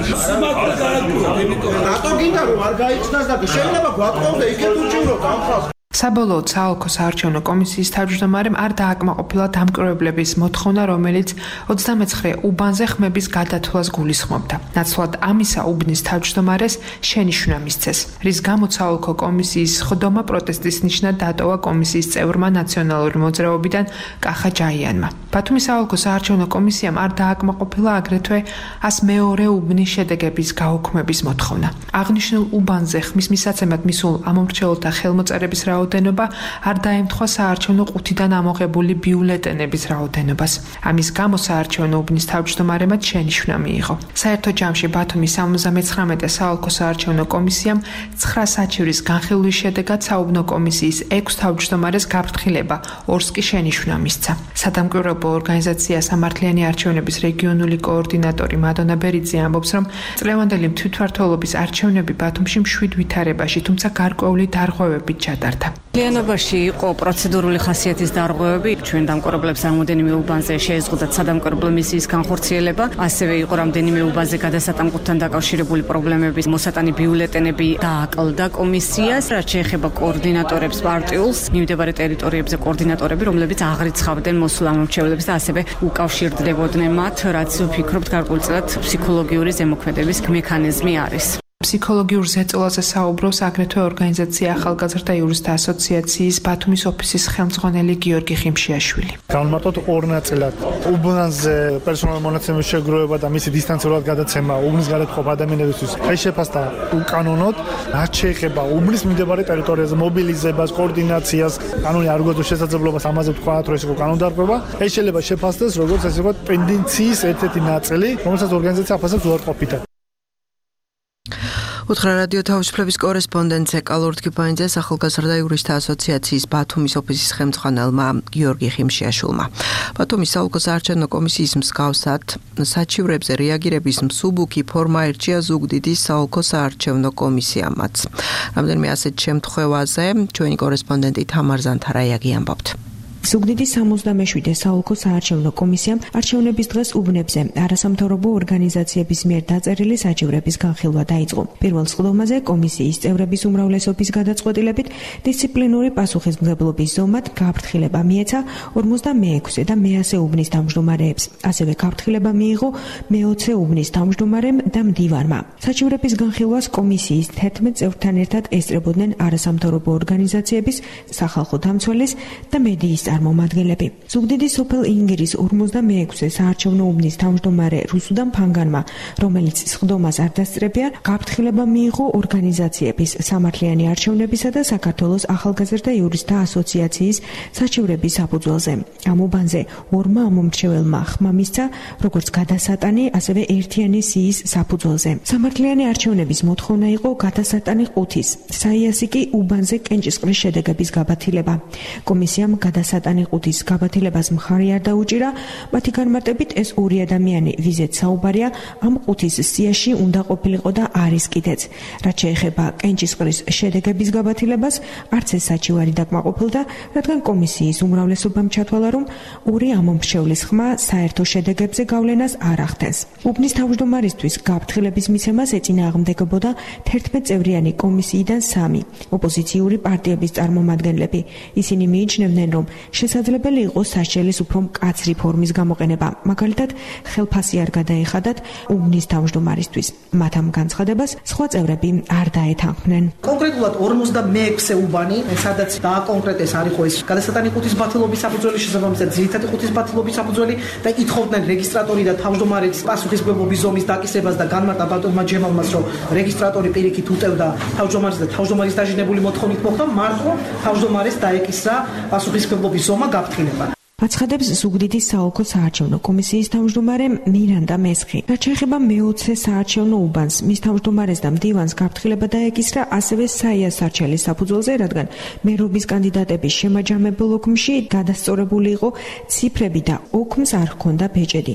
Speaker 3: რატო გინდა რომ არ გაიცნას და შეიძლება გვატყობდე იქეთ უჭიროთ ამ ხალხს.
Speaker 20: საბოლოოდ საოლქო საარჩევნო კომისიის თავმჯდომარემ არ დააკმაყოფილა დამკვირვებლების მოთხოვნა, რომელიც 29 უბანზე ხმების გადათვლას გულისხმობდა. ნაცვლად ამისა უბნის თავმჯდომარეს შენიშვნა მისცეს, რის გამოც საოლქო კომისიის ხდომა პროტესტის ნიშნად დატოვა კომისიის წევრმა ნაციონალური მოძრაობიდან კახა ჯაიანმა. ბათუმის საოლქო საარჩევნო კომისიამ არ დააკმაყოფილა აგრეთვე 102 უბნის შედეგების გაუქმების მოთხოვნა. აღნიშნულ უბანზე ხმის მისაცემად მისულ ამომრჩეველთა ხელმოწერების რაოდენობა არ დაემთხვა საარჩევნო ყუთიდან ამოღებული ბიულეტენების რაოდენობას. ამის გამო საარჩევნო უბნის თავმჯდომარემაც შენიშვნა მიიღო. საერთო ჯამში ბათუმის 79 საოლქო საარჩევნო კომისიამ 9 საჩივრის განხილვის შედეგად საუბნო კომისიის 6 თავმჯდომარეს გაფრთხილება, 2-ს კი შენიშვნა მისცა. სადამკვირვებლო ორგანიზაცია სამართლიანი არჩევნების რეგიონული კოორდინატორი მადონა ბერიძე ამბობს, რომ წლევანდელი თვითმმართველობის არჩევნები ბათუმში მშვიდ ვითარებაში, თუმცა გარკვეული დარღვევებით ჩატარდა.
Speaker 22: ლიანობაში იყო პროცედურული ხასიათის დარღვევები, ჩვენ დამკვირვებლებს რამოდენიმე უბანზე შეეზღუდათ სადამკვირვებლო მისიის განხორციელება, ასევე იყო რამდენიმე უბანზე გადასატანკუთთან დაკავშირებული პრობლემების მოსატანი ბიულეტენები დააკლდა კომისიას, რაც შეეხება კოორდინატორებს პარტიულს, მიმდებარე ტერიტორიებზე კოორდინატორები, რომლებიც აღრიცხავდნენ მოსულ ამომრჩევლებს და ასევე უკავშირდებოდნენ მათ, რაც ვფიქრობთ გარკვეულწილად ფსიქოლოგიური ზემოქმედების მექანიზმი არის.
Speaker 20: ფსიქოლოგიურ ზეწოლაზე საუბრობს აგრეთვე ორგანიზაცია ახალგაზრდა იურისტთა ასოციაციის ბათუმის ოფისის ხელმძღვანელი გიორგი ხიმშიაშვილი.
Speaker 3: განმარტოთ ორ ნაწილად. უბანზე პერსონალურ მონაცემების შეგროვება და მისი დისტანციურად გადაცემა უბნის გადაწყობა ადამიანებისთვის ეს შეფასდა უკანონოდ, რაც შეეხება უბნის მიმდებარე ტერიტორიაზე მობილიზებას, კოორდინაციას, კანონი არ გვაქვს შესაძლებლობას ამაზე ვთქვათ, რომ ეს იყო კანონდარღვევა. ეს შეიძლება შეფასდეს როგორც ასე ვთქვათ ტენდენციის ერთ-ერთი ნაწილი, რომელსაც ორგანიზაცია აფასებს უარყოფითად.
Speaker 2: უთხრა რადიო თავისუფლების კორესპონდენტზე კალურთკიპაინძეს ახალგაზრდა იურისტთა ასოციაციის ბათუმის ოფისის ხელმძღვანელმა გიორგი ხიმშიაშვილმა. ბათუმის საოლქო საარჩევნო კომისიის მსგავსად საჩივრებზე რეაგირების მსუბუქი ფორმა ერჩია ზუგდიდის საოლქო საარჩევნო კომისიამაც. რამდენიმე ასეთ შემთხვევაზე ჩვენი კორესპონდენტი თამარ ზანთარაიაგი ამბობთ.
Speaker 24: ზუგდიდის 77 საოლქო საარჩევნო კომისიამ არჩევნების დღეს უბნებზე არასამთავრობო ორგანიზაციების მიერ დაწერილი საჩივრების განხილვა დაიწყო. პირველ სხდომაზე კომისიის წევრების უმრავლესობის გადაწყვეტილებით დისციპლინური პასუხისმგებლობის ზომად გაფრთხილება მიეცა 46 და მე-100 უბნის თავმჯდომარეებს. ასევე გაფრთხილება მიიღო მე-20 უბნის თავმჯდომარემ და მდივანმა. საჩივრების განხილვას კომისიის 11 წევრთან ერთად ესწრებოდნენ არასამთავრობო ორგანიზაციების, სახალხო დამცველის და მედიის წარმომადგენლები. ზუგდიდის სოფელ ინგირის 56-ე საარჩევნო უბნის თავმჯდომარე რუსუდან ფანგანმა, რომელიც სხდომას არ დასწრებია, გაფრთხილება მიიღო ორგანიზაციების სამართლიანი არჩევნებისა და საქართველოს ახალგაზრდა იურისტთა ასოციაციის საჩივრების საფუძველზე. ამ უბანზე ორმა ამომრჩეველმა ხმა მისცა, როგორც გადასატანი, ასევე ერთიანი სიის საფუძველზე. სამართლიანი არჩევნების მოთხოვნა იყო გადასატანი 5-ის, საიასი კი უბანზე კენჭისყრის შედეგების გაბათილება. კომისიამ გადასატანი 5-ის გაბათილებას მხარი არ დაუჭირა, მათი განმარტებით ეს ორი ადამიანი, ვიზეთ საუბარია, ამ 5-ის სიაში უნდა ყოფილიყო და არის კიდეც. რაც შეეხება კენჭისყრის შედეგების გაბათილებას, არც ეს საჩივარი დაკმაყოფილდა, რადგან კომისიის უმრავლესობამ ჩათვალა, რომ ორი ამომრჩევლის ხმა საერთო შედეგებზე გავლენას არ ახდენს. უბნის თავმჯდომარისთვის გაფრთხილების მიცემას ეწინააღმდეგებოდა 11 წევრიანი კომისიიდან 3 ოპოზიციური პარტიების წარმომადგენლები. ისინი მიიჩნევდნენ, რომ შესაძლებელი იყო სასჯელის უფრო მკაცრი ფორმის გამოყენება, მაგალითად, ხელფასი არ გადაეხადათ უბნის თავმჯდომარისთვის. მათ ამ განცხადებას სხვა წევრები არ დაეთანხმნენ.
Speaker 8: კონკრეტულად 56-ე უბანი, სადაც დააკონკრეტეს არ იყო ეს გადასატანი 5-ის ბათილობის საფუძველი, შესაბამისად ძირითადი 5-ის ბათილობის საფუძველი და ითხოვდნენ რეგისტრატორი და თავმჯდომარის პასუხისმგებლობის ზომის დაკისრებას და განმარტა ბატონმა ჯემალმას, რომ რეგისტრატორი პირიქით უტევდა თავმჯდომარის და თავმჯდომარის დაჟინებული მოთხოვნით მოხდა მარტო თავმჯდომარის დაეკისრა პასუხისმგებლობის ზომა გაფრთხილება.
Speaker 24: აცხადებს ზუგდიდის საოლქო საარჩევნო კომისიის თავმჯდომარე მირანდა მესხი. რაც შეეხება მე-20 საარჩევნო უბანს, მის თავმჯდომარეს და მდივანს გაფრთხილება დაეკისრა ასევე საიას არჩელის საფუძველზე, რადგან მერობის კანდიდატების შემაჯამებელ ოქმში გადასწორებული იყო ციფრები და ოქმს არ ჰქონდა ბეჭედი.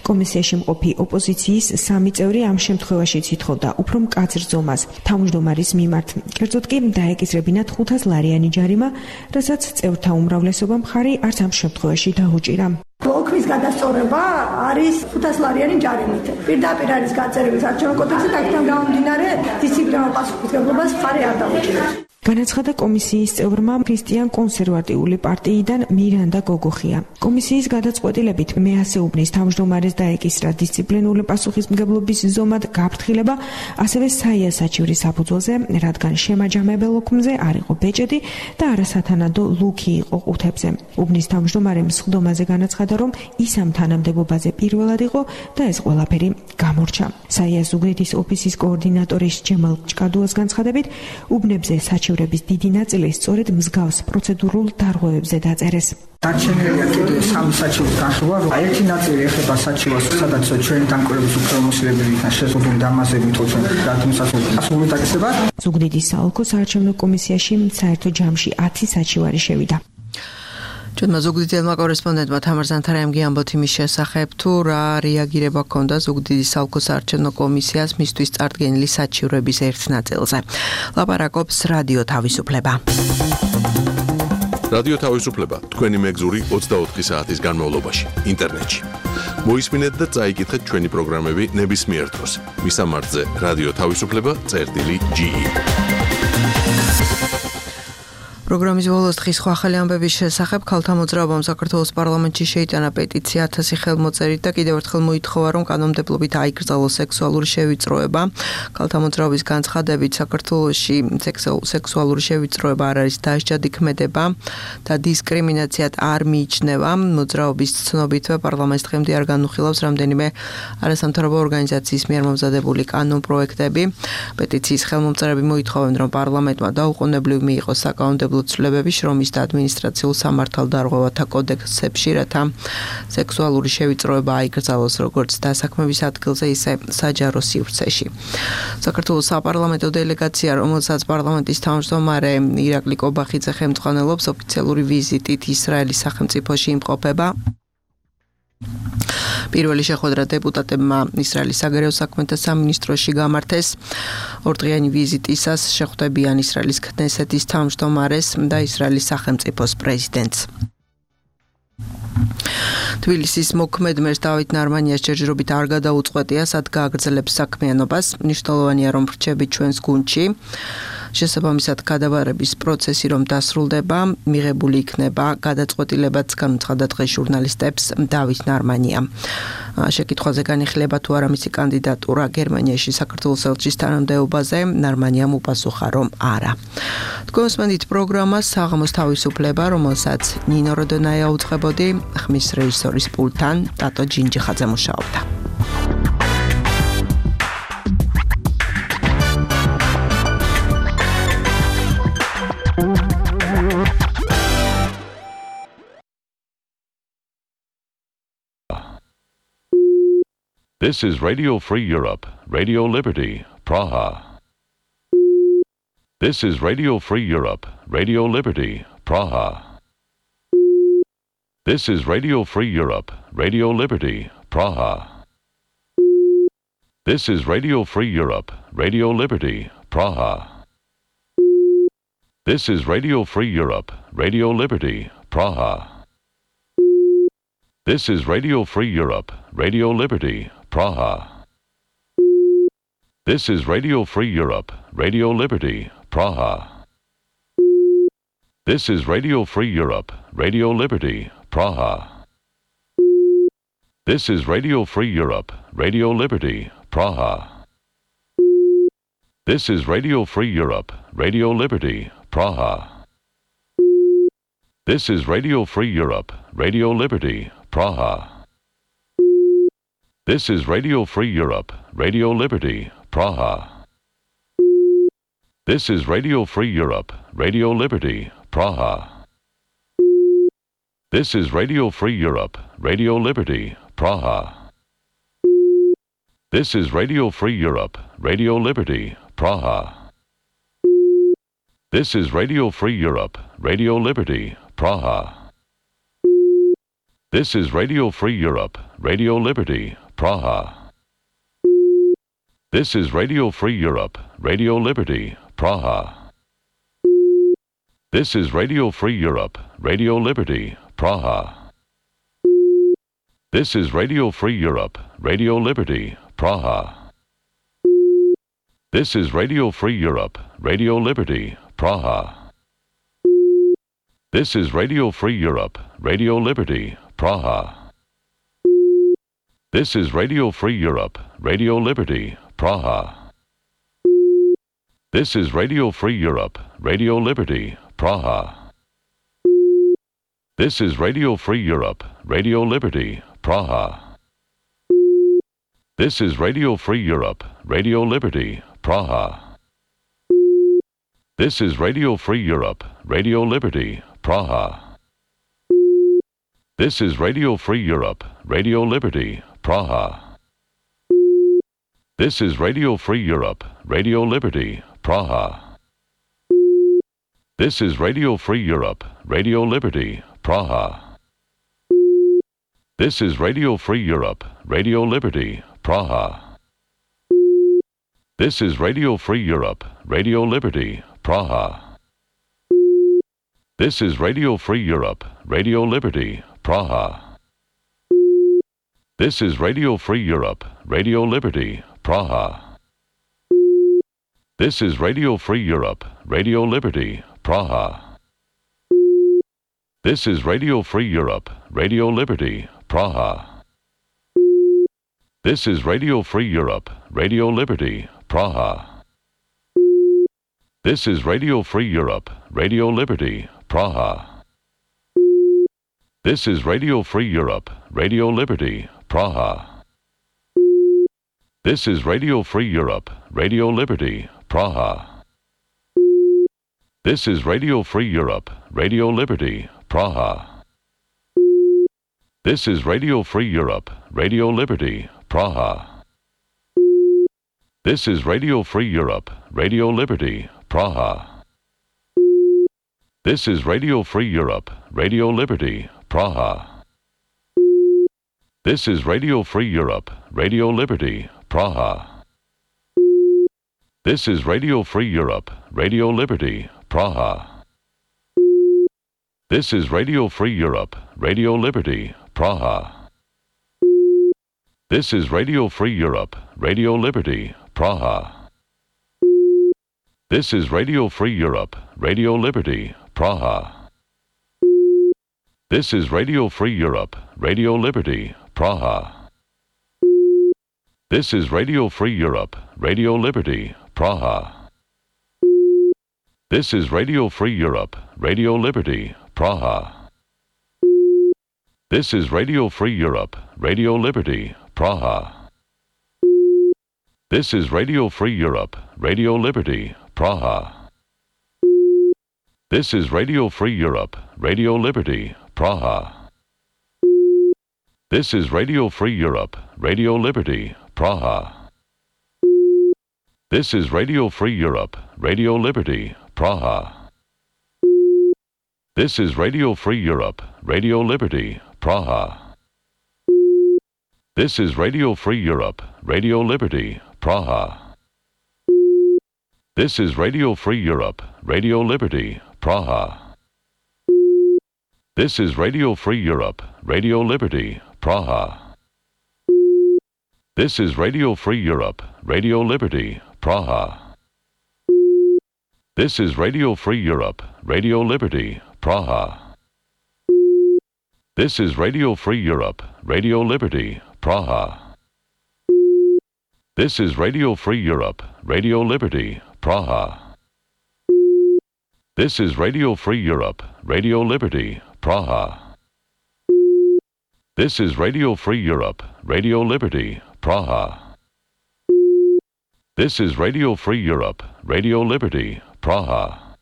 Speaker 24: კომისიაში მყოფი ოპოზიციის 3 წევრი ამ შემთხვევაში ითხოვდა უფრო მკაცრ ზომას თავმჯდომარის მიმართ. კერძოდ კი დაეკისრებინათ 500 ლარიანი ჯარიმა, რასაც წევრთა უმრავლესობა მხარი არც ამ შემთხვევაში დაუჭირა.
Speaker 9: ოქმის გადასწორება არის 500 ლარიანი ჯარიმით. პირდაპირ არის გაწერილი საარჩევნო კოდექსში, აქედან გამომდინარე დისციპლინარულ პასუხისმგებლობას მხარი არ დაუჭირებს.
Speaker 24: განაცხადა კომისიის წევრმა ქრისტიან კონსერვატიული პარტიიდან მირანდა გოგოხია. კომისიის გადაწყვეტილებით მე-100 უბნის თავმჯდომარეს დაეკისრა დისციპლინარული პასუხისმგებლობის ზომად გაფრთხილება, ასევე საიას საჩივრის საფუძველზე, რადგან შემაჯამებელ ოქმზე არ იყო ბეჭედი და არასათანადო ლუქი იყო ყუთებზე. უბნის თავმჯდომარემ სხდომაზე განაცხადა, რომ ის ამ თანამდებობაზე პირველად იყო და ეს ყველაფერი გამორჩა. საიას ზუგდიდის ოფისის კოორდინატორის ჯემალ ჭკადუას განცხადებით, უბნებზე საჩივრების დიდი ნაწილი სწორედ მსგავს პროცედურულ დარღვევებზე დაწერეს.
Speaker 8: დარჩენილია კიდევ 3 საჩივრის განხილვა. ერთი ნაწილი ეხება საჩივარს, სადაც ჩვენი დამკვირვებლის უფლებამოსილებლებიდან შეზღუდული დამაზებით ჩვენ გათმოსასწორებელი დაკისრება.
Speaker 24: ზუგდიდის საოლქო საარჩევნო კომისიაში საერთო ჯამში 10 საჩივარი შევიდა. ჩვენმა ზუგდიდელმა კორესპონდენტმა თამარ ზანთარაიმ ამბოთ იმის შესახებ, თუ რა რეაგირება ჰქონდა ზუგდიდის საოლქო საარჩევნო კომისიას მისთვის წარდგენილი საჩივრების ერთ ნაწილზე. ლაპარაკობს რადიო თავისუფლება.
Speaker 1: რადიო თავისუფლება თქვენი მეგზური 24 საათის განმავლობაში ინტერნეტში. მოისმინეთ და წაიკითხეთ ჩვენი პროგრამები ნებისმიერ დროს. მისამართზე რადიო თავისუფლება.ge.
Speaker 2: პროგრამის ბოლოს დღის სხვა ახალი ამბების შესახებ ქალთა მოძრაობამ საქართველოს პარლამენტში შეიტანა პეტიცია 1000 ხელმოწერით და კიდევ ერთხელ მოითხოვა, რომ კანონმდებლობით აიკრძალოს სექსუალური შევიწროება. ქალთა მოძრაობის განცხადებით, საქართველოში სექსუალური შევიწროება არ არის დასჯადი ქმედება და დისკრიმინაციად არ მიიჩნევა. მოძრაობის ცნობითვე პარლამენტს დღემდე არ განუხილავს რამდენიმე არასამთავრობო ორგანიზაციის მიერ მომზადებული კანონპროექტები. პეტიციის ხელმომწერები მოითხოვენ, რომ პარლამენტმა დაუყოვნებლივ მიიღოს საკანონმდებლო ცვლილებები შრომის და ადმინისტრაციულ სამართალდარღვევათა კოდექსებში, რათა სექსუალური შევიწროება აიკრძალოს როგორც დასაქმების ადგილზე, ისე საჯარო სივრცეში. საქართველოს საპარლამენტო დელეგაცია, რომელსაც პარლამენტის თავმჯდომარე ირაკლი კობახიძე ხელმძღვანელობს, ოფიციალური ვიზიტით ისრაელის სახელმწიფოში იმყოფება. პირველი შეხვედრა დეპუტატებმა ისრაელის საგარეო საქმეთა სამინისტროში გამართეს. ორდღიანი ვიზიტისას შეხვდებიან ისრაელის ქნესეთის თავმჯდომარეს და ისრაელის სახელმწიფოს პრეზიდენტს. თბილისის მოქმედ მერს დავით ნარმანიას ჯერჯერობით არ გადაუწყვეტია, სად გააგრძელებს საქმიანობას. მნიშვნელოვანია, რომ ვრჩებით ჩვენს გუნდში. შესაბამისად გადაბარების პროცესი რომ დასრულდება, მიღებული იქნება გადაწყვეტილებაც განუცხადა დღეს ჟურნალისტებს დავით ნარმანია. Შეკითხვაზე განიხილება თუ არა მისი კანდიდატურა გერმანიაში საქართველოს ელჩის თანამდებობაზე, ნარმანიამ უპასუხა რომ არა. თქვენსმენით პროგრამა საღამოს თავისუფლება, რომელსაც ნინო როდონაია უძღვებოდი, ხმის რეჟისორის პულტთან ტატო ჯინჯიხაძე მუშაობდა.
Speaker 4: This is Radio Free Europe, Radio Liberty, Praha. This is Radio Free Europe, Radio Liberty, Praha. This is Radio Free Europe, Radio Liberty, Praha. This is Radio Free Europe, Radio Liberty, Praha. This is Radio Free Europe, Radio Liberty, Praha. This is Radio Free Europe, Radio Liberty, Praha. This is Radio Free Europe, Radio Liberty, Praha. This is Radio Free Europe, Radio Liberty, Praha. This is Radio Free Europe, Radio Liberty, Praha. This is Radio Free Europe, Radio Liberty, Praha. This is Radio Free Europe, Radio Liberty, Praha. This is Radio Free Europe, Radio Liberty, Praha. This is Radio Free Europe, Radio Liberty, Praha. This is Radio Free Europe, Radio Liberty, Praha. This is Radio Free Europe, Radio Liberty, Praha. This is Radio Free Europe, Radio Liberty, Praha. This is Radio Free Europe, Radio Liberty, Praha. This is Radio Free Europe, Radio Liberty, Praha. This is Radio Free Europe, Radio Liberty, Praha. This is Radio Free Europe, Radio Liberty, Praha. This is Radio Free Europe, Radio Liberty, Praha. This is Radio Free Europe, Radio Liberty, Praha. This is Radio Free Europe, Radio Liberty, Praha. This is Radio Free Europe, Radio Liberty, Praha. This is Radio Free Europe, Radio Liberty, Praha. This is Radio Free Europe, Radio Liberty, Praha. This is Radio Free Europe, Radio Liberty, Praha. This is Radio Free Europe, Radio Liberty, Praha. This is Radio Free Europe, Radio Liberty, Praha. This is Radio Free Europe, Radio Liberty, Praha. This is Radio Free Europe, Radio Liberty, Praha. This is Radio Free Europe, Radio Liberty, Praha. This is Radio Free Europe, Radio Liberty, Praha. This is Radio Free Europe, Radio Liberty, Praha. This is Radio Free Europe, Radio Liberty, Praha. This is Radio Free Europe, Radio Liberty, Praha. This is Radio Free Europe, Radio Liberty, Praha. This is Radio Free Europe, Radio Liberty, Praha. This is Radio Free Europe, Radio Liberty, Praha. This is Radio Free Europe, Radio Liberty, Praha. This is Radio Free Europe, Radio Liberty, Praha. This is Radio Free Europe, Radio Liberty, Praha. This is Radio Free Europe, Radio Liberty, Praha. This is Radio Free Europe, Radio Liberty, Praha. This is Radio Free Europe, Radio Liberty, Praha. This is Radio Free Europe, Radio Liberty, Praha. This is Radio Free Europe, Radio Liberty, Praha. This is Radio Free Europe, Radio Liberty, Praha. This is Radio Free Europe, Radio Liberty, Praha. This is Radio Free Europe, Radio Liberty, Praha. This is Radio Free Europe, Radio Liberty, Praha. This is Radio Free Europe, Radio Liberty, Praha. This is Radio Free Europe, Radio Liberty, Praha. This is Radio Free Europe, Radio Liberty, Praha. This is Radio Free Europe, Radio Liberty, Praha. This is Radio Free Europe, Radio Liberty, Praha. This is Radio Free Europe, Radio Liberty, Praha. This is Radio Free Europe, Radio Liberty, Praha. This is Radio Free Europe, Radio Liberty, Praha. This is Radio Free Europe, Radio Liberty, Praha. This is Radio Free Europe, Radio Liberty, Praha. This is Radio Free Europe, Radio Liberty, Praha. This is Radio Free Europe, Radio Liberty, Praha. This is Radio Free Europe, Radio Liberty, Praha. This is Radio Free Europe, Radio Liberty, Praha. This is Radio Free Europe, Radio Liberty, Praha. This is Radio Free Europe, Radio Liberty, Praha. This is Radio Free Europe, Radio Liberty, Praha.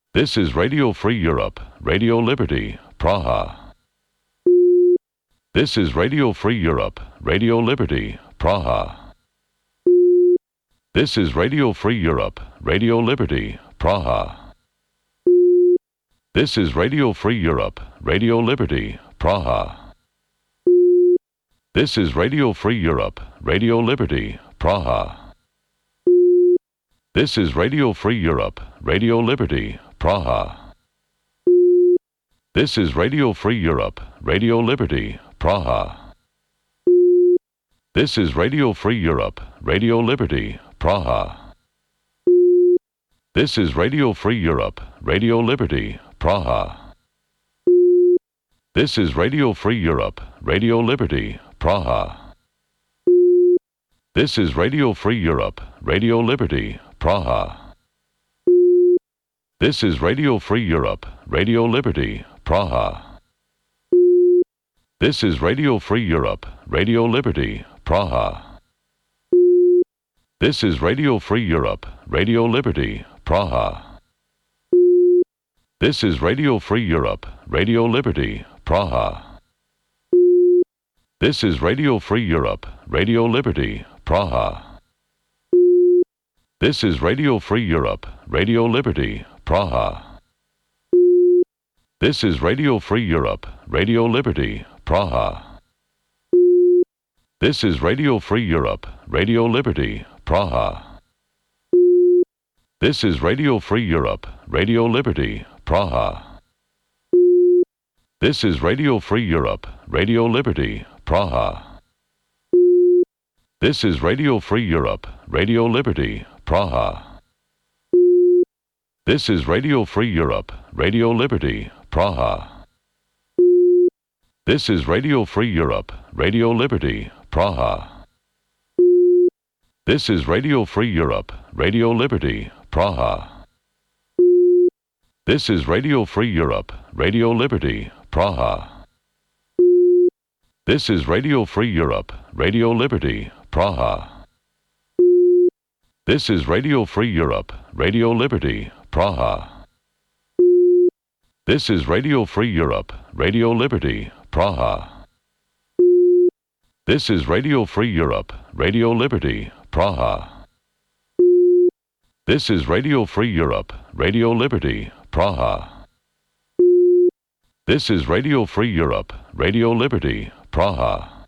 Speaker 4: This is Radio Free Europe, Radio Liberty, Praha. This is Radio Free Europe, Radio Liberty, Praha. This is Radio Free Europe, Radio Liberty, Praha. This is Radio Free Europe, Radio Liberty, Praha. This is Radio Free Europe, Radio Liberty, Praha. This is Radio Free Europe, Radio Liberty, Praha. This is Radio Free Europe, Radio Liberty, Praha. This is Radio Free Europe, Radio Liberty, Praha. This is Radio Free Europe, Radio Liberty, Praha. This is Radio Free Europe, Radio Liberty, Praha. This is Radio Free Europe, Radio Liberty, Praha. This is Radio Free Europe, Radio Liberty, Praha. This is Radio Free Europe, Radio Liberty, Praha. This is Radio Free Europe, Radio Liberty, Praha. This is Radio Free Europe, Radio Liberty, Praha. This is Radio Free Europe, Radio Liberty, Praha. This is Radio Free Europe, Radio Liberty, Praha. This is Radio Free Europe, Radio Liberty, Praha. This is Radio Free Europe, Radio Liberty, Praha. This is Radio Free Europe, Radio Liberty, Praha. This is Radio Free Europe, Radio Liberty, Praha. This is Radio Free Europe, Radio Liberty, Praha. This is Radio Free Europe, Radio Liberty, Praha. This is Radio Free Europe, Radio Liberty, Praha. This is Radio Free Europe, Radio Liberty, Praha. This is Radio Free Europe, Radio Liberty, Praha. This is Radio Free Europe, Radio Liberty, Praha. This is Radio Free Europe, Radio Liberty, Praha. This is Radio Free Europe, Radio Liberty, Praha. This is Radio Free Europe, Radio Liberty, Praha. This is Radio Free Europe, Radio Liberty, Praha. This is Radio Free Europe, Radio Liberty, Praha.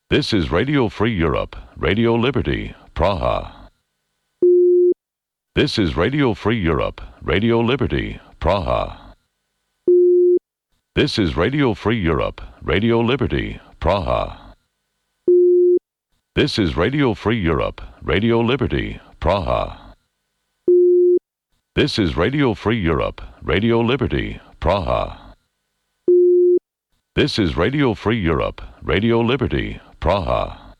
Speaker 4: This is Radio Free Europe, Radio Liberty, Praha. This is Radio Free Europe, Radio Liberty, Praha. This is Radio Free Europe, Radio Liberty, Praha. This is Radio Free Europe, Radio Liberty, Praha. This is Radio Free Europe, Radio Liberty, Praha. This is Radio Free Europe, Radio Liberty, Praha.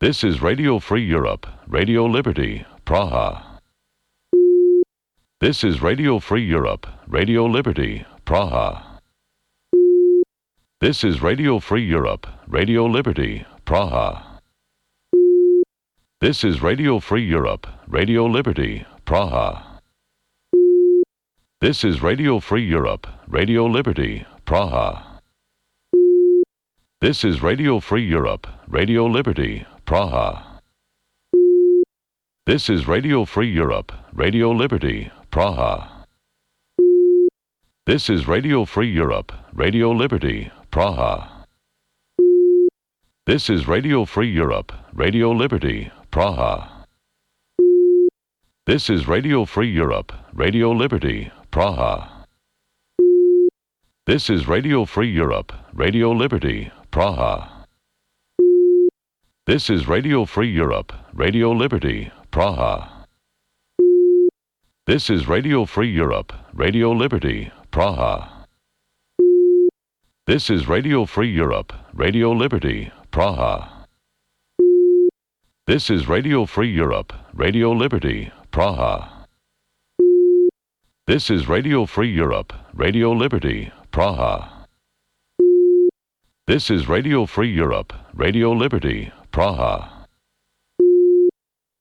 Speaker 4: This is Radio Free Europe, Radio Liberty, Praha. This is Radio Free Europe, Radio Liberty, Praha. This is Radio Free Europe, Radio Liberty, Praha. This is Radio Free Europe, Radio Liberty, Praha. This is Radio Free Europe, Radio Liberty, Praha. This is Radio Free Europe, Radio Liberty, Praha. This is Radio Free Europe, Radio Liberty, Praha. This is Radio Free Europe, Radio Liberty, Praha. This is Radio Free Europe, Radio Liberty, Praha. This is Radio Free Europe, Radio Liberty, Praha. This is Radio Free Europe, Radio Liberty, Praha. This is Radio Free Europe, Radio Liberty, Praha. This is Radio Free Europe, Radio Liberty, Praha. This is Radio Free Europe, Radio Liberty, Praha. This is Radio Free Europe, Radio Liberty, Praha. This is Radio Free Europe, Radio Liberty, Praha. This is Radio Free Europe, Radio Liberty, Praha.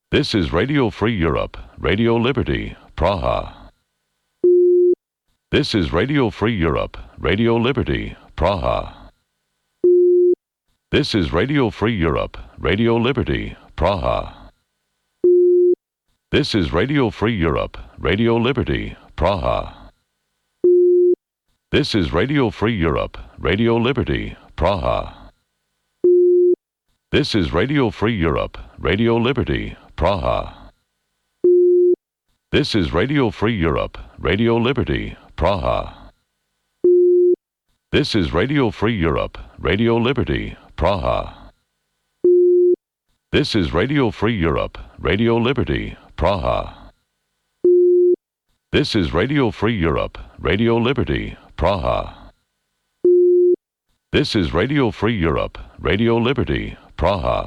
Speaker 4: This is Radio Free Europe, Radio Liberty, Praha. This is Radio Free Europe, Radio Liberty, Praha. This is Radio Free Europe, Radio Liberty, Praha. This is Radio Free Europe, Radio Liberty, Praha. This is Radio Free Europe, Radio Liberty, Praha. This is Radio Free Europe, Radio Liberty, Praha. This is Radio Free Europe, Radio Liberty, Praha. This is Radio Free Europe, Radio Liberty, Praha. This is Radio Free Europe, Radio Liberty, Praha. This is Radio Free Europe, Radio Liberty, Praha. This is Radio Free Europe, Radio Liberty, Praha.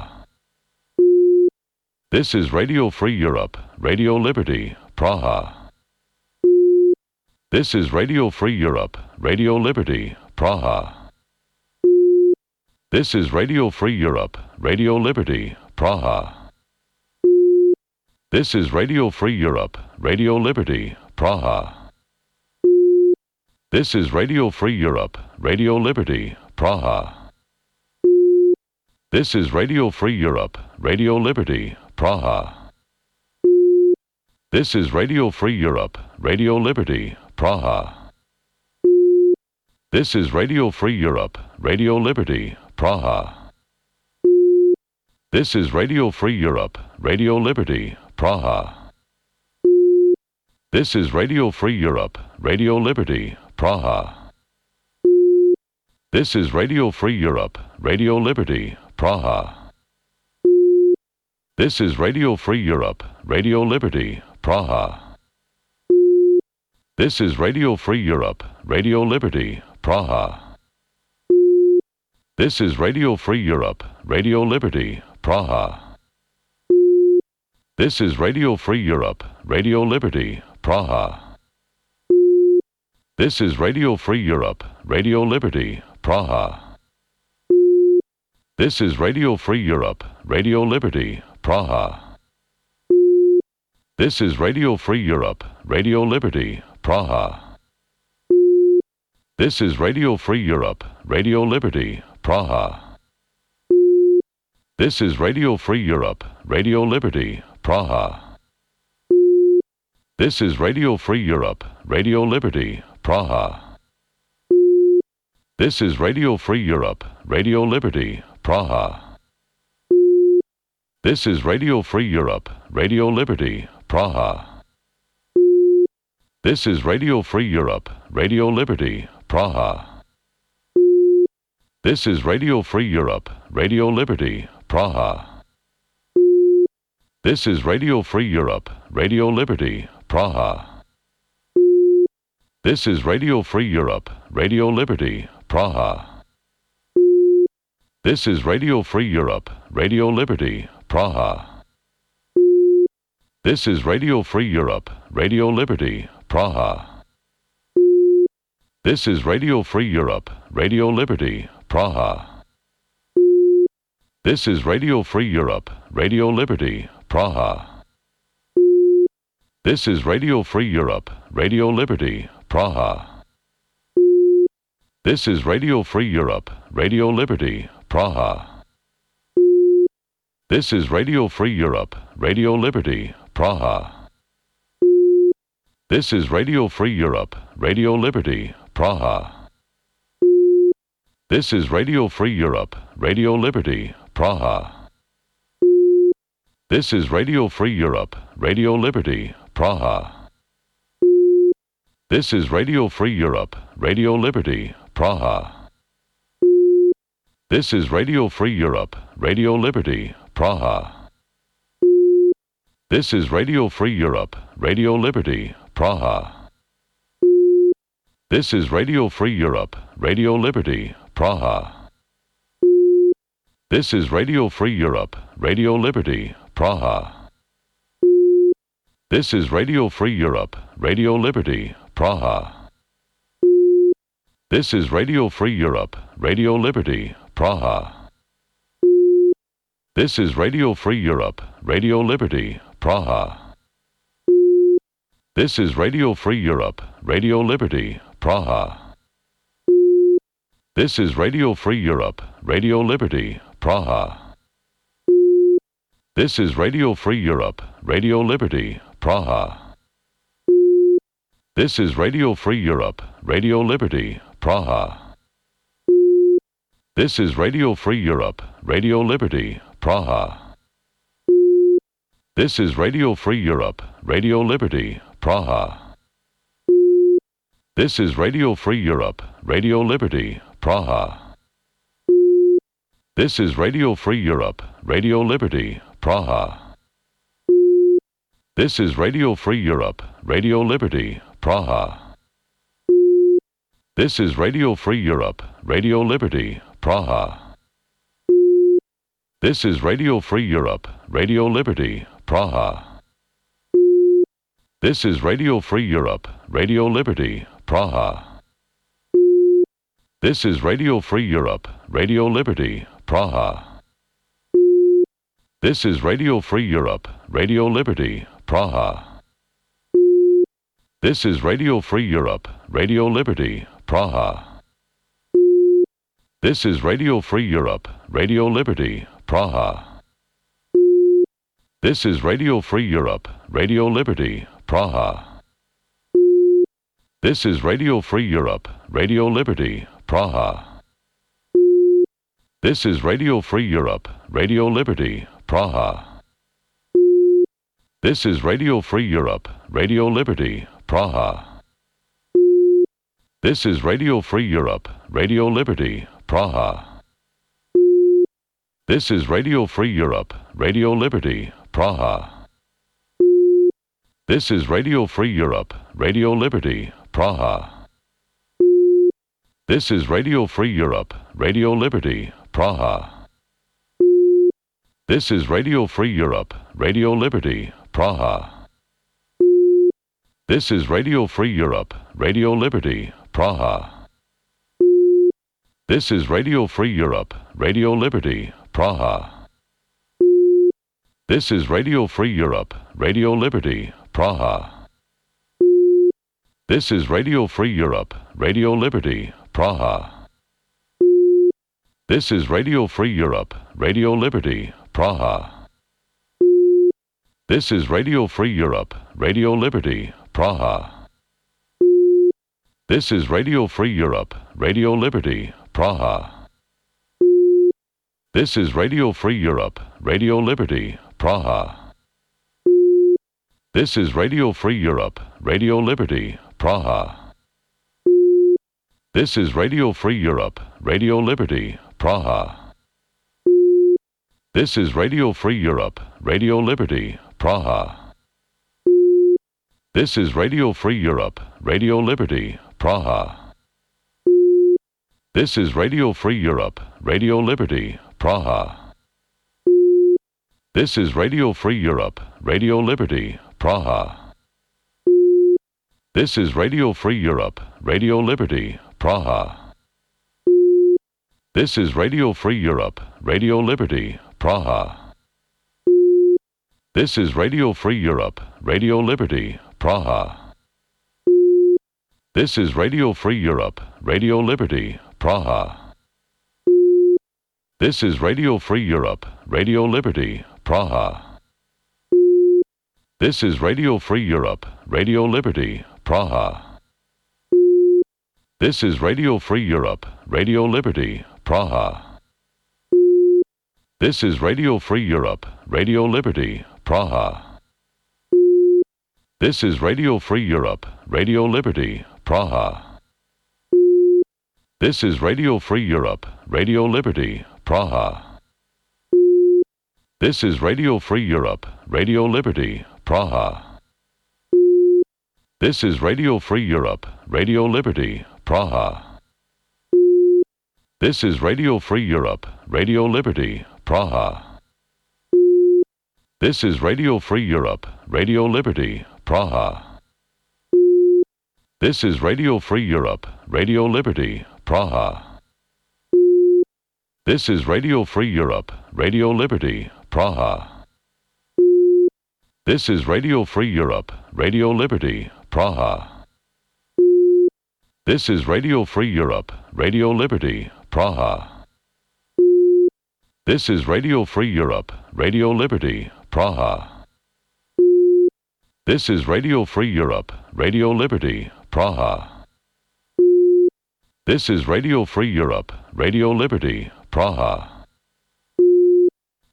Speaker 4: This is Radio Free Europe, Radio Liberty, Praha. This is Radio Free Europe, Radio Liberty, Praha. This is Radio Free Europe, Radio Liberty, Praha. This is Radio Free Europe, Radio Liberty, Praha. This is Radio Free Europe, Radio Liberty, Praha. This is Radio Free Europe, Radio Liberty, Praha. This is Radio Free Europe, Radio Liberty, Praha. This is Radio Free Europe, Radio Liberty, Praha. This is Radio Free Europe, Radio Liberty, Praha. This is Radio Free Europe, Radio Liberty, Praha. This is Radio Free Europe, Radio Liberty, Praha. This is Radio Free Europe, Radio Liberty, Praha. This is Radio Free Europe, Radio Liberty, Praha. This is Radio Free Europe, Radio Liberty, Praha. This is Radio Free Europe, Radio Liberty, Praha. This is Radio Free Europe, Radio Liberty, Praha. This is Radio Free Europe, Radio Liberty, Praha. This is Radio Free Europe, Radio Liberty, Praha. This is Radio Free Europe, Radio Liberty, Praha. This is Radio Free Europe, Radio Liberty, Praha. This is Radio Free Europe, Radio Liberty, Praha. This is Radio Free Europe, Radio Liberty, Praha. This is Radio Free Europe, Radio Liberty, Praha. This is Radio Free Europe, Radio Liberty, Praha. This is Radio Free Europe, Radio Liberty, Praha. This is Radio Free Europe, Radio Liberty, Praha. This is Radio Free Europe, Radio Liberty, Praha. This is Radio Free Europe, Radio Liberty, Praha. This is Radio Free Europe, Radio Liberty, Praha. This is Radio Free Europe, Radio Liberty, Praha. This is Radio Free Europe, Radio Liberty, Praha. This is Radio Free Europe, Radio Liberty, Praha. This is Radio Free Europe, Radio Liberty, Praha. This is Radio Free Europe, Radio Liberty, Praha. This is Radio Free Europe, Radio Liberty, Praha. This is Radio Free Europe, Radio Liberty, Praha. This is Radio Free Europe, Radio Liberty, Praha. This is Radio Free Europe, Radio Liberty, Praha. This is Radio Free Europe, Radio Liberty, Praha. This is Radio Free Europe, Radio Liberty, Praha. This is Radio Free Europe, Radio Liberty, Praha. This is Radio Free Europe, Radio Liberty, Praha. This is Radio Free Europe, Radio Liberty, Praha. This is Radio Free Europe, Radio Liberty, Praha. This is Radio Free Europe, Radio Liberty, Praha. This is Radio Free Europe, Radio Liberty, Praha. This is Radio Free Europe, Radio Liberty, Praha. This is Radio Free Europe, Radio Liberty, Praha. This is Radio Free Europe, Radio Liberty, Praha. This is Radio Free Europe, Radio Liberty, Praha. This is Radio Free Europe, Radio Liberty, Praha. This is Radio Free Europe, Radio Liberty, Praha. This is Radio Free Europe, Radio Liberty, Praha. This is Radio Free Europe, Radio Liberty, Praha. This is Radio Free Europe, Radio Liberty, Praha. This is Radio Free Europe, Radio Liberty, Praha. This is Radio Free Europe, Radio Liberty, Praha. This is Radio Free Europe, Radio Liberty, Praha. This is Radio Free Europe, Radio Liberty, Praha. This is Radio Free Europe, Radio Liberty, Praha. This is Radio Free Europe, Radio Liberty, Praha. This is Radio Free Europe, Radio Liberty, Praha. This is Radio Free Europe, Radio Liberty, Praha. This is Radio Free Europe, Radio Liberty, Praha. This is Radio Free Europe, Radio Liberty, Praha. This is Radio Free Europe, Radio Liberty, Praha. This is Radio Free Europe, Radio Liberty, Praha. This is Radio Free Europe, Radio Liberty, Praha. This is Radio Free Europe, Radio Liberty, Praha. This is Radio Free Europe, Radio Liberty, Praha. This is Radio Free Europe, Radio Liberty, Praha. This is Radio Free Europe, Radio Liberty, Praha. This is Radio Free Europe, Radio Liberty, Praha. This is Radio Free Europe, Radio Liberty, Praha. This is Radio Free Europe, Radio Liberty, Praha. This is Radio Free Europe, Radio Liberty, Praha. This is Radio Free Europe, Radio Liberty, Praha. This is Radio Free Europe, Radio Liberty, Praha. This is Radio Free Europe, Radio Liberty, Praha. This is Radio Free Europe, Radio Liberty, Praha. This is Radio Free Europe, Radio Liberty, Praha. This is Radio Free Europe, Radio Liberty, Praha. This is Radio Free Europe, Radio Liberty, Praha. This is Radio Free Europe, Radio Liberty, Praha. This is Radio Free Europe, Radio Liberty, Praha. This is Radio Free Europe, Radio Liberty, Praha. This is Radio Free Europe, Radio Liberty, Praha. This is Radio Free Europe, Radio Liberty, Praha. This is Radio Free Europe, Radio Liberty, Praha. This is Radio Free Europe, Radio Liberty, Praha. This is Radio Free Europe, Radio Liberty, Praha. This is Radio Free Europe, Radio Liberty, Praha. This is Radio Free Europe, Radio Liberty, Praha. This is Radio Free Europe, Radio Liberty, Praha. This is Radio Free Europe, Radio Liberty, Praha. This is Radio Free Europe, Radio Liberty, Praha. This is Radio Free Europe, Radio Liberty, Praha. This is Radio Free Europe, Radio Liberty, Praha. This is Radio Free Europe, Radio Liberty, Praha. This is Radio Free Europe, Radio Liberty, Praha. This is Radio Free Europe, Radio Liberty, Praha. This is Radio Free Europe, Radio Liberty, Praha. This is Radio Free Europe, Radio Liberty, Praha. This is Radio Free Europe, Radio Liberty, Praha. This is Radio Free Europe, Radio Liberty, Praha.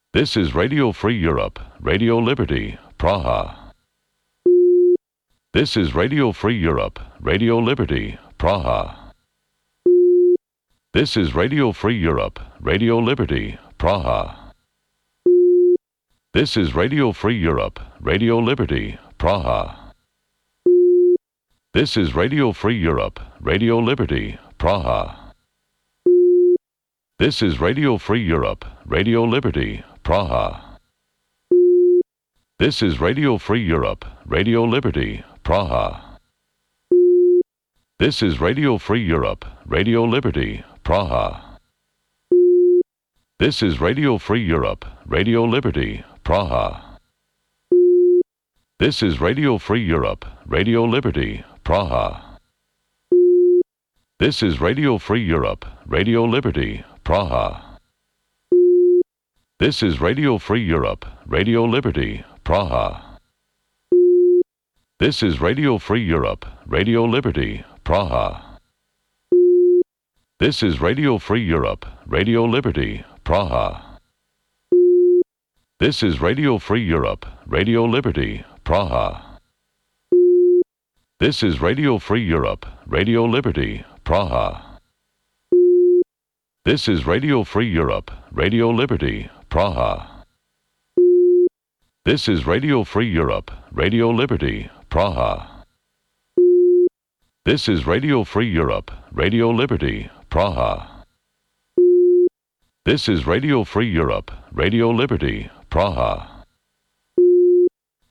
Speaker 4: This is Radio Free Europe, Radio Liberty, Praha. This is Radio Free Europe, Radio Liberty, Praha. This is Radio Free Europe, Radio Liberty, Praha. This is Radio Free Europe, Radio Liberty, Praha. This is Radio Free Europe, Radio Liberty, Praha. This is Radio Free Europe, Radio Liberty, Praha. This is Radio Free Europe, Radio Liberty, Praha. This is Radio Free Europe, Radio Liberty, Praha. This is Radio Free Europe, Radio Liberty, Praha. This is Radio Free Europe, Radio Liberty, Praha. This is Radio Free Europe, Radio Liberty, Praha. This is Radio Free Europe, Radio Liberty, Praha. This is Radio Free Europe, Radio Liberty, Praha. This is Radio Free Europe, Radio Liberty, Praha. This is Radio Free Europe, Radio Liberty, Praha. This is Radio Free Europe, Radio Liberty, Praha. This is Radio Free Europe, Radio Liberty, Praha. This is Radio Free Europe, Radio Liberty, Praha. This is Radio Free Europe, Radio Liberty, Praha. This is Radio Free Europe, Radio Liberty, Praha.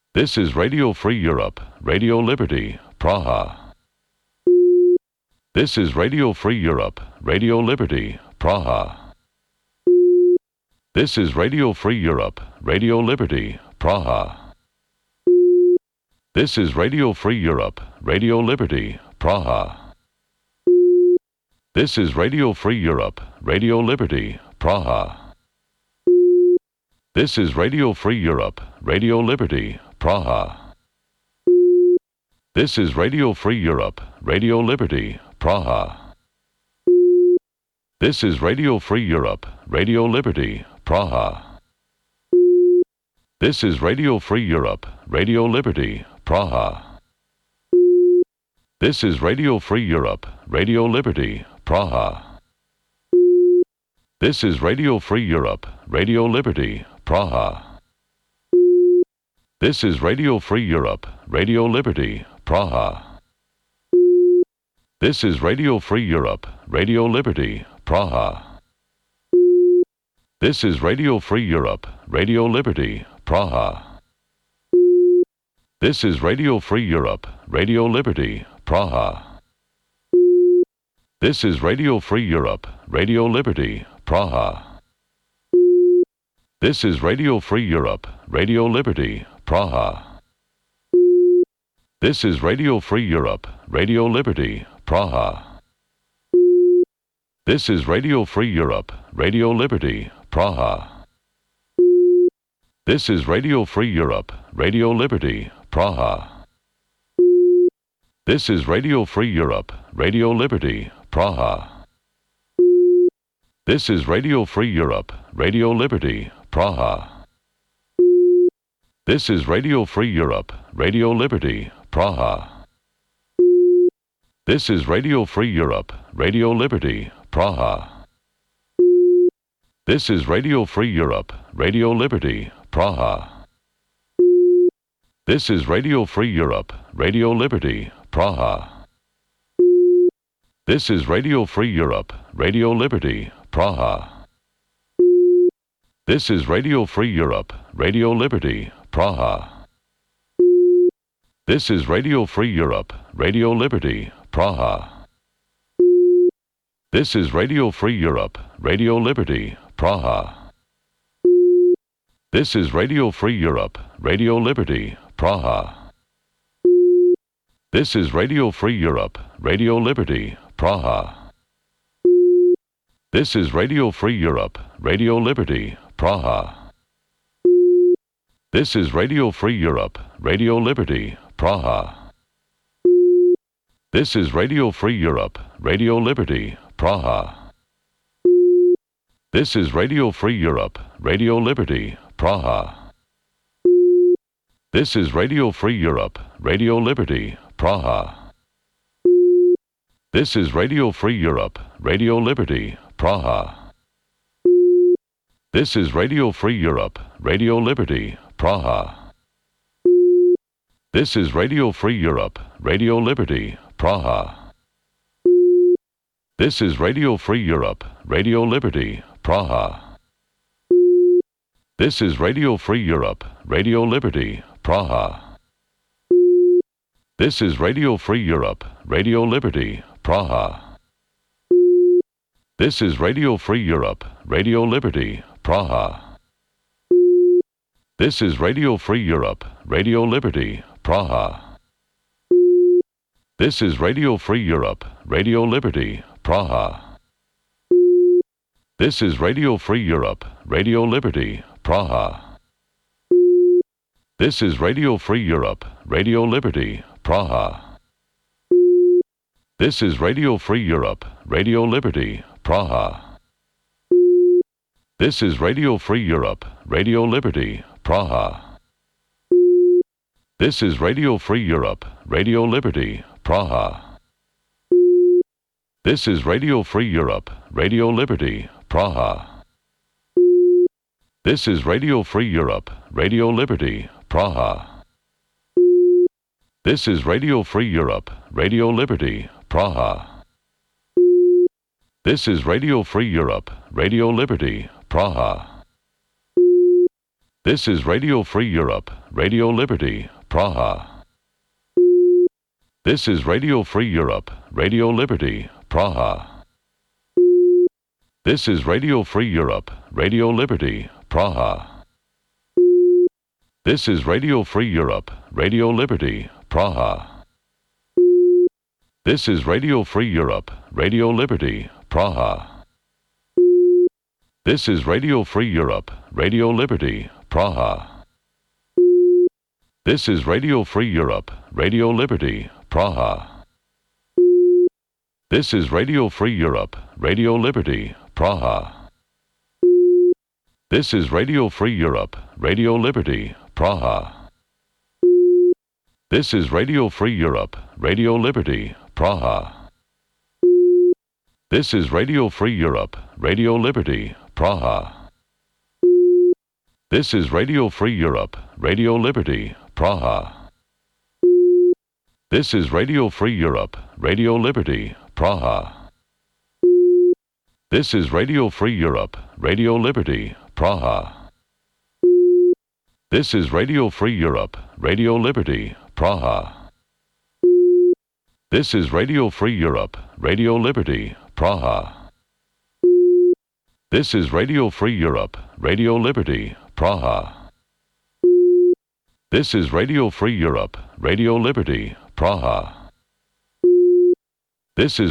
Speaker 4: This is Radio Free Europe, Radio Liberty, Praha. This is Radio Free Europe, Radio Liberty, Praha. This is Radio Free Europe, Radio Liberty, Praha. This is Radio Free Europe, Radio Liberty, Praha. This is Radio Free Europe, Radio Liberty, Praha. This is Radio Free Europe, Radio Liberty, Praha. This is Radio Free Europe, Radio Liberty, Praha. This is Radio Free Europe, Radio Liberty, Praha. This is Radio Free Europe, Radio Liberty, Praha. This is Radio Free Europe, Radio Liberty, Praha. This is Radio Free Europe, Radio Liberty, Praha. This is Radio Free Europe, Radio Liberty, Praha. This is Radio Free Europe, Radio Liberty, Praha. This is Radio Free Europe, Radio Liberty, Praha. This is Radio Free Europe, Radio Liberty, Praha. This is Radio Free Europe, Radio Liberty, Praha. This is Radio Free Europe, Radio Liberty, Praha. This is Radio Free Europe, Radio Liberty, Praha. This is Radio Free Europe, Radio Liberty, Praha. This is Radio Free Europe, Radio Liberty, Praha. This is Radio Free Europe, Radio Liberty, Praha. This is Radio Free Europe, Radio Liberty, Praha. This is Radio Free Europe, Radio Liberty, Praha. This is Radio Free Europe, Radio Liberty, Praha. This is Radio Free Europe, Radio Liberty, Praha. This is Radio Free Europe, Radio Liberty, Praha. This is Radio Free Europe, Radio Liberty, Praha. This is Radio Free Europe, Radio Liberty, Praha. This is Radio Free Europe, Radio Liberty, Praha. This is Radio Free Europe, Radio Liberty, Praha. This is Radio Free Europe, Radio Liberty, Praha. This is Radio Free Europe, Radio Liberty, Praha. This is Radio Free Europe, Radio Liberty, Praha. This is Radio Free Europe, Radio Liberty, Praha. This is Radio Free Europe, Radio Liberty, Praha. This is Radio Free Europe, Radio Liberty, Praha. This is Radio Free Europe, Radio Liberty, Praha. This is Radio Free Europe, Radio Liberty, Praha. This is Radio Free Europe, Radio Liberty, Praha. This is Radio Free Europe, Radio Liberty, Praha. This is Radio Free Europe, Radio Liberty, Praha. This is Radio Free Europe, Radio Liberty, Praha. This is Radio Free Europe, Radio Liberty, Praha. This is Radio Free Europe, Radio Liberty, Praha. This is Radio Free Europe, Radio Liberty, Praha. This is Radio Free Europe, Radio Liberty, Praha. This is Radio Free Europe, Radio Liberty, Praha. This is Radio Free Europe, Radio Liberty, Praha. This is Radio Free Europe, Radio Liberty, Praha. This is Radio Free Europe, Radio Liberty, Praha. This is Radio Free Europe, Radio Liberty, Praha. This is Radio Free Europe, Radio Liberty, Praha. This is Radio Free Europe, Radio Liberty, Praha. This is Radio Free Europe, Radio Liberty, Praha. This is Radio Free Europe, Radio Liberty, Praha. This is Radio Free Europe, Radio Liberty, Praha. This is Radio Free Europe, Radio Liberty, Praha. This is Radio Free Europe, Radio Liberty, Praha. This is Radio Free Europe, Radio Liberty, Praha. This is Radio Free Europe, Radio Liberty, Praha. This is Radio Free Europe, Radio Liberty, Praha. This is Radio Free Europe, Radio Liberty, Praha. This is Radio Free Europe, Radio Liberty, Praha. This is Radio Free Europe, Radio Liberty, Praha. This is Radio Free Europe, Radio Liberty, Praha. This is Radio Free Europe, Radio Liberty, Praha. This is Radio Free Europe, Radio Liberty, Praha. This is Radio Free Europe, Radio Liberty, Praha. This is Radio Free Europe, Radio Liberty, Praha. This is Radio Free Europe, Radio Liberty, Praha. This is Radio Free Europe, Radio Liberty, Praha. This is Radio Free Europe, Radio Liberty, Praha. This is Radio Free Europe, Radio Liberty, Praha. This is